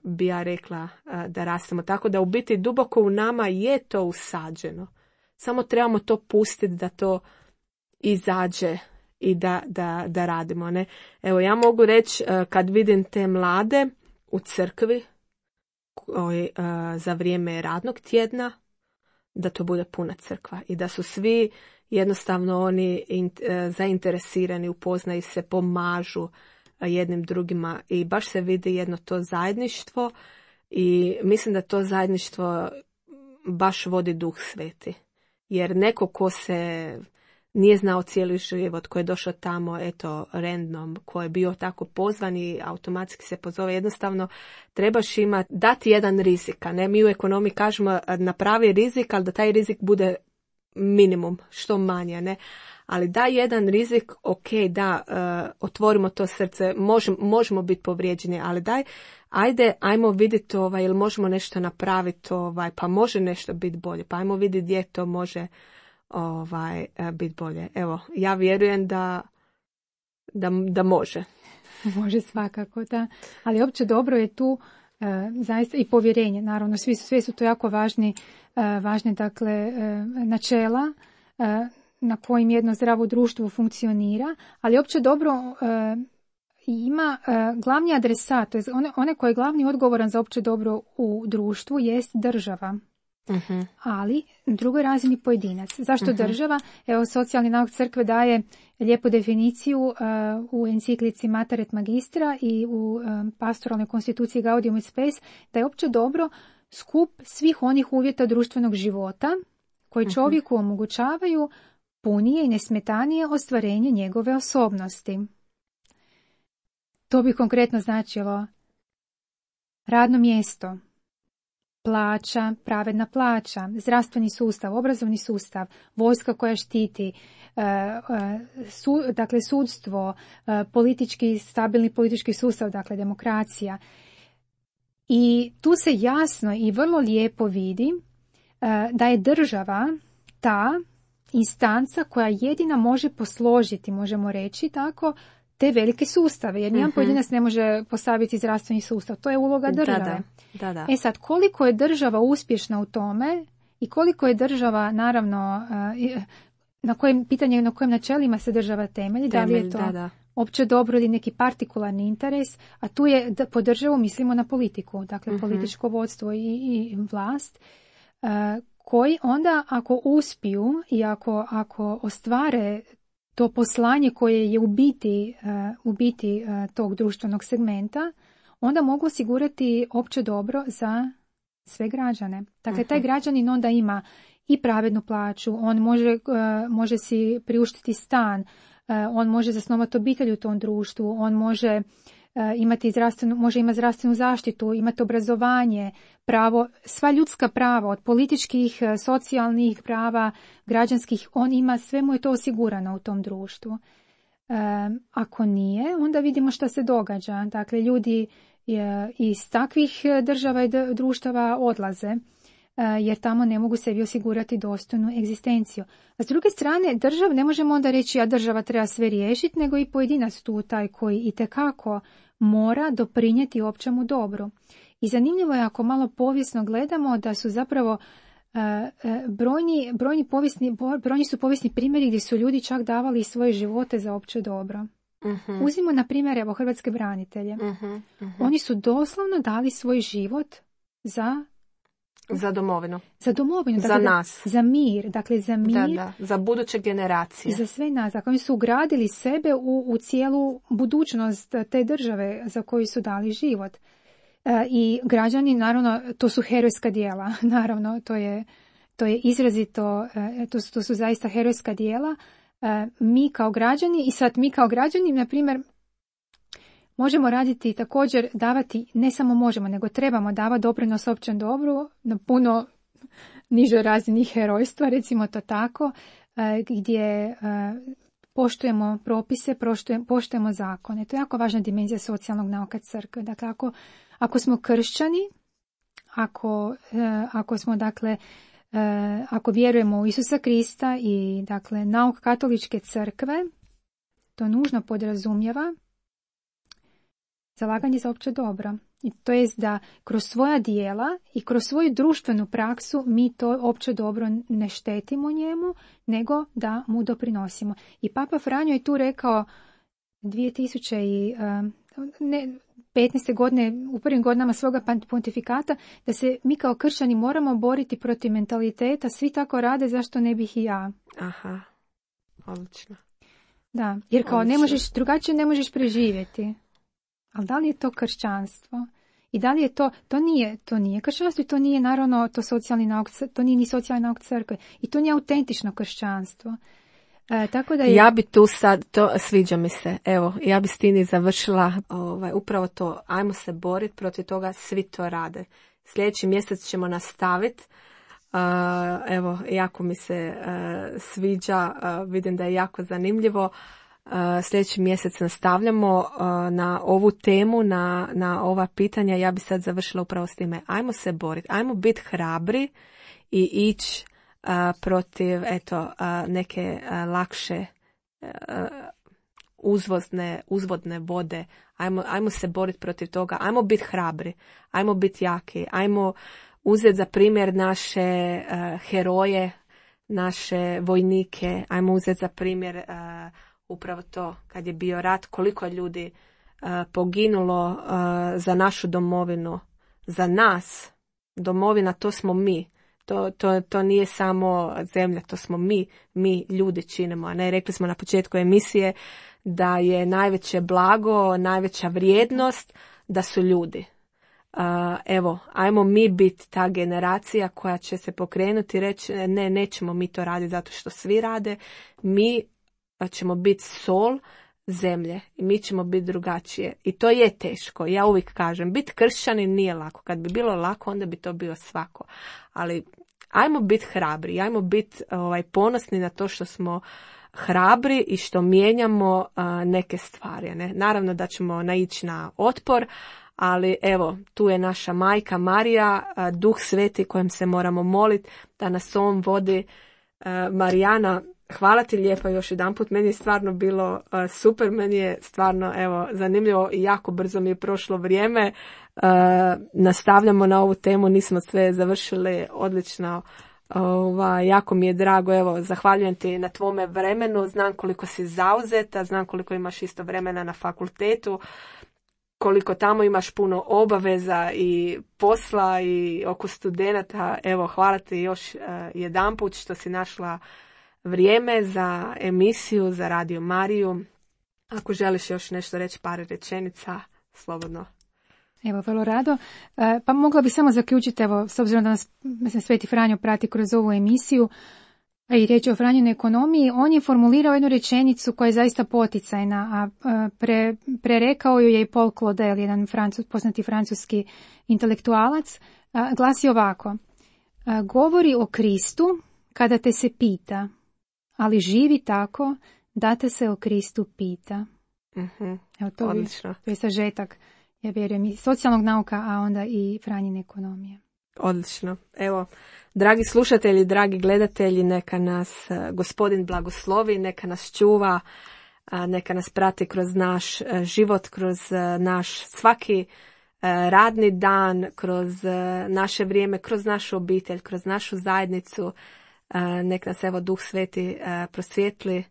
bi ja rekla da rastemo. Tako da u biti duboko u nama je to usađeno. Samo trebamo to pustiti da to izađe i da radimo. Ne? Evo, ja mogu reći kad vidim te mlade u crkvi za vrijeme radnog tjedna, da to bude puna crkva i da su svi jednostavno oni zainteresirani, upoznaju se, pomažu jednim drugima i baš se vidi jedno to zajedništvo i mislim da to zajedništvo baš vodi Duh Sveti. Jer neko ko se nije znao cijeli život, ko je došao tamo, eto, random, ko je bio tako pozvan i automatski se pozove, jednostavno trebaš dati jedan rizik, a ne mi u ekonomiji kažemo napravi rizik, ali da taj rizik bude minimum, što manje, ne? Ali daj jedan rizik, ok, da, otvorimo to srce, možemo biti povrijeđeni, ali ajmo vidjeti ili možemo nešto napraviti, pa može nešto biti bolje, pa ajmo vidjeti gdje to može biti bolje. Evo, ja vjerujem da može. Može svakako, da. Ali opće dobro je tu zaista i povjerenje, naravno, sve su to jako važne dakle, načela na kojim jedno zdravo društvo funkcionira, ali opće dobro ima glavni adresat, to je onaj koji je glavni odgovoran za opće dobro u društvu jest država. Uh-huh. Ali na drugoj razini pojedinac. Zašto država? Evo, socijalni nauk crkve daje lijepu definiciju u enciklici Mater et Magistra i u pastoralnoj konstituciji Gaudium et Spes, da je opće dobro skup svih onih uvjeta društvenog života koji čovjeku omogućavaju punije i nesmetanije ostvarenje njegove osobnosti. To bi konkretno značilo radno mjesto, plaća, pravedna plaća, zdravstveni sustav, obrazovni sustav, vojska koja štiti, dakle sudstvo, stabilni politički sustav, dakle demokracija. I tu se jasno i vrlo lijepo vidi da je država ta instanca koja jedina može posložiti, možemo reći tako, te velike sustave, jer nijedan pojedinac ne može postaviti zdravstveni sustav. To je uloga države. Da. E sad, koliko je država uspješna u tome i koliko je država, naravno, na kojem načelima se država temelji, da li je to opće dobro ili neki partikularni interes, a tu je da po državu mislimo na politiku, dakle političko vodstvo i vlast, koji onda ako uspiju i ako ostvare to poslanje koje je u biti tog društvenog segmenta, onda mogu osigurati opće dobro za sve građane. Dakle, taj građanin onda ima i pravednu plaću, on može si priuštiti stan, on može zasnovati obitelj u tom društvu, on može imati zdravstvenu zaštitu, imati obrazovanje, pravo, sva ljudska prava, od političkih, socijalnih prava, građanskih, on ima, sve mu je to osigurano u tom društvu. Ako nije, onda vidimo što se događa. Dakle, ljudi iz takvih država i društava odlaze, jer tamo ne mogu sebi osigurati dostojnu egzistenciju. A s druge strane, ne možemo onda reći, a država treba sve riješiti, nego i pojedinac tu taj koji itekako mora doprinijeti općemu dobru. I zanimljivo je ako malo povijesno gledamo da su zapravo brojni su povijesni primjeri gdje su ljudi čak davali svoje živote za opće dobro. Uzmimo na primjer hrvatske branitelje. Oni su doslovno dali svoj život za domovinu. Za domovinu. Dakle, za nas. Za mir. Dakle, za mir. Da. Za buduće generacije. I za sve nas. Dakle, oni su ugradili sebe u cijelu budućnost te države za koju su dali život. I građani, naravno, to su herojska djela. Naravno, to je izrazito, to su zaista herojska djela. Mi kao građani, na primjer, možemo raditi također, davati, ne samo možemo, nego trebamo davati doprinos općem dobru na puno nižoj razini herojstva, recimo to tako, gdje poštujemo propise, poštujemo zakone. To je jako važna dimenzija socijalnog nauka crkve. Dakle, ako smo kršćani, ako smo, dakle, ako vjerujemo u Isusa Krista i, dakle, nauk katoličke crkve, to nužno podrazumijeva zalaganje za opće dobro. I to jest da kroz svoja dijela i kroz svoju društvenu praksu mi to opće dobro ne štetimo njemu, nego da mu doprinosimo. I Papa Franjo je tu rekao 2015. godine, u prvim godinama svoga pontifikata, da se mi kao kršćani moramo boriti protiv mentaliteta, svi tako rade, zašto ne bih i ja. Aha, odlično. Da, jer kao drugačije ne možeš preživjeti. Ali da li je to kršćanstvo? I da li je to nije kršćanstvo i to nije naravno to nije ni socijalni nauk crkve. I to nije autentično kršćanstvo. Tako da Ja bi tu sad, sviđa mi se, evo, ja bi s Tini završila upravo to, ajmo se boriti protiv toga, svi to rade. Sljedeći mjesec ćemo nastaviti. Evo, jako mi se sviđa, vidim da je jako zanimljivo. Sljedeći mjesec nastavljamo na ovu temu, na ova pitanja. Ja bi sad završila upravo s time. Ajmo se boriti, ajmo biti hrabri i ići protiv neke lakše uzvodne vode. Ajmo se boriti protiv toga. Ajmo biti hrabri, ajmo biti jaki, ajmo uzeti za primjer naše heroje, naše vojnike, ajmo uzeti za primjer upravo to, kad je bio rat, koliko je ljudi poginulo za našu domovinu, za nas. Domovina, to smo mi. To nije samo zemlja, to smo mi ljudi činimo. A ne, rekli smo na početku emisije da je najveće blago, najveća vrijednost da su ljudi. Evo, ajmo mi biti ta generacija koja će se pokrenuti i reći nećemo mi to raditi zato što svi rade. Mi ćemo biti sol zemlje i mi ćemo biti drugačije. I to je teško. Ja uvijek kažem, biti kršćanin nije lako. Kad bi bilo lako, onda bi to bio svako. Ali ajmo biti hrabri, ajmo biti ponosni na to što smo hrabri i što mijenjamo neke stvari. Ne? Naravno da ćemo naići na otpor, ali evo, tu je naša majka Marija, Duh Sveti kojem se moramo moliti da nas on vodi. Marijana, hvala ti lijepo još jedanput, meni je stvarno bilo super, meni je stvarno zanimljivo i jako brzo mi je prošlo vrijeme. Nastavljamo na ovu temu, nismo sve završili, odlično, jako mi je drago, zahvaljujem ti na tvome vremenu, znam koliko si zauzeta, znam koliko imaš isto vremena na fakultetu, koliko tamo imaš puno obaveza i posla i oko studenata. Hvala ti još jedanput što si našla vrijeme za emisiju, za Radio Mariju. Ako želiš još nešto reći, par rečenica, slobodno. Evo, vrlo rado. Pa mogla bi samo zaključiti, s obzirom da nas Sveti Franjo prati kroz ovu emisiju, a i riječ o Franjinoj ekonomiji, on je formulirao jednu rečenicu koja je zaista poticajna, a prerekao ju je i Paul Claudel, jedan poznati francuski intelektualac, glasi ovako: govori o Kristu kada te se pita, ali živi tako da te se o Kristu pita. Mm-hmm. Evo, to je sažetak, ja vjerujem, i socijalnog nauka, a onda i Franjine ekonomije. Odlično. Evo, dragi slušatelji, dragi gledatelji, neka nas Gospodin blagoslovi, neka nas čuva, neka nas prati kroz naš život, kroz naš svaki radni dan, kroz naše vrijeme, kroz našu obitelj, kroz našu zajednicu. Neka nas Duh Sveti prosvijetli.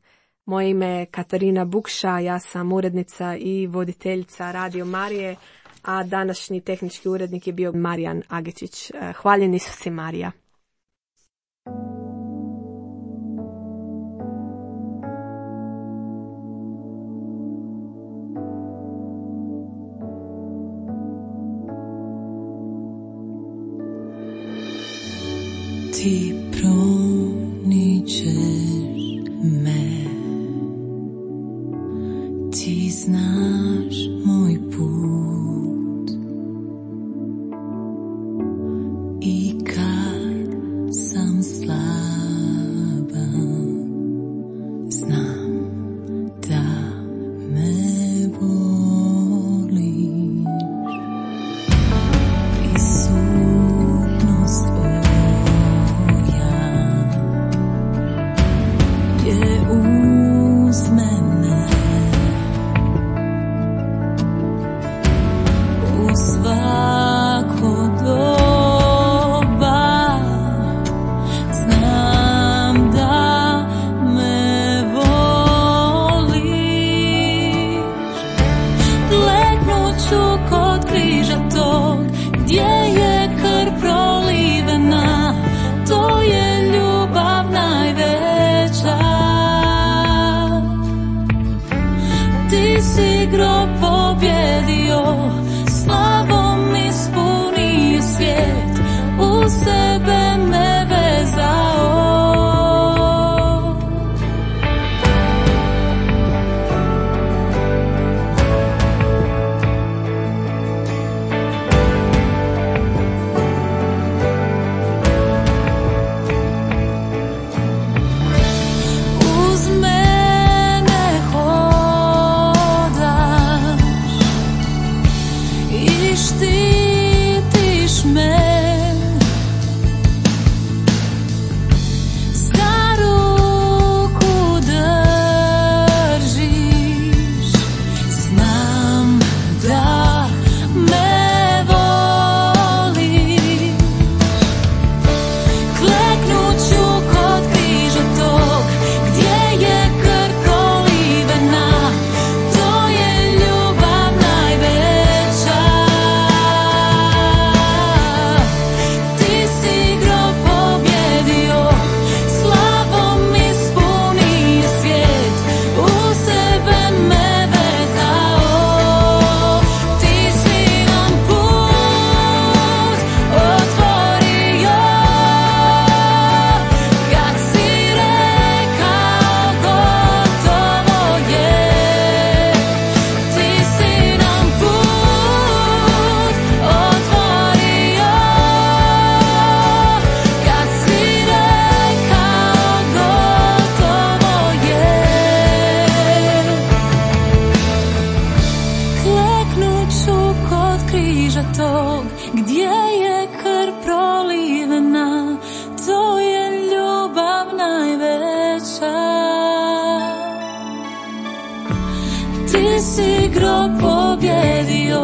Moje ime je Katarina Bukša, ja sam urednica i voditeljica Radio Marije, a današnji tehnički urednik je bio Marijan Agečić. Hvaljen Isus i Marija. Ti promičeš me, ti znaš moj put i kad sam slaba, znam da me voliš. Prisutnost tvoja sebe me vezao. Uz mene hodaš i štitiš me. Za ruku držiš, znam da me voliš. Kleknut ću kod križa tog, gdje je krv prolivena. To je ljubav najveća. Ti si grob pobjedio, slavom ispunio svijet, u sebe me vezao. Ti si nam put otvorio, kad si rekao gotovo je. Ti si nam put otvorio, kad si rekao gotovo je. Kleknut ću kod križa tog, gdje je krv prolivena. To je ljubav najveća. Ti si grob pobjedio,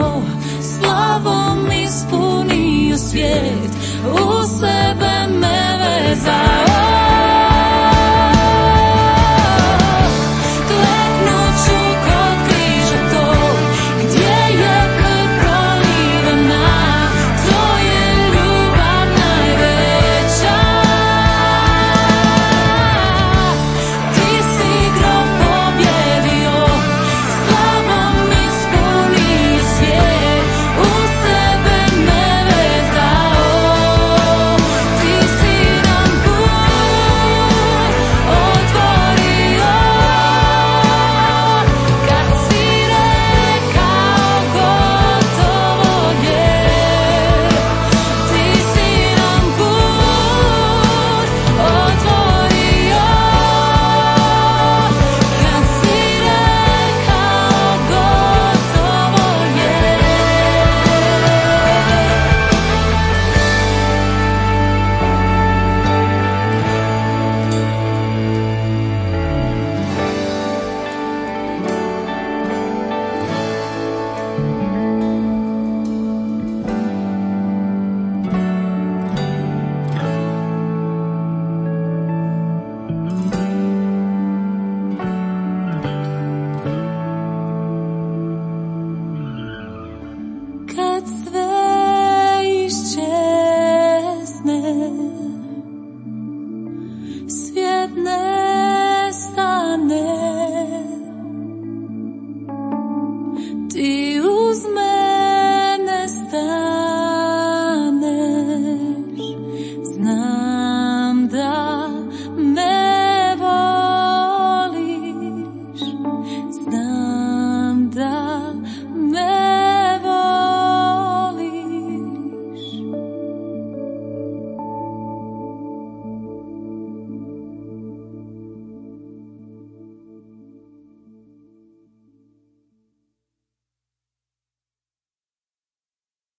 slavom ispunio svijet, u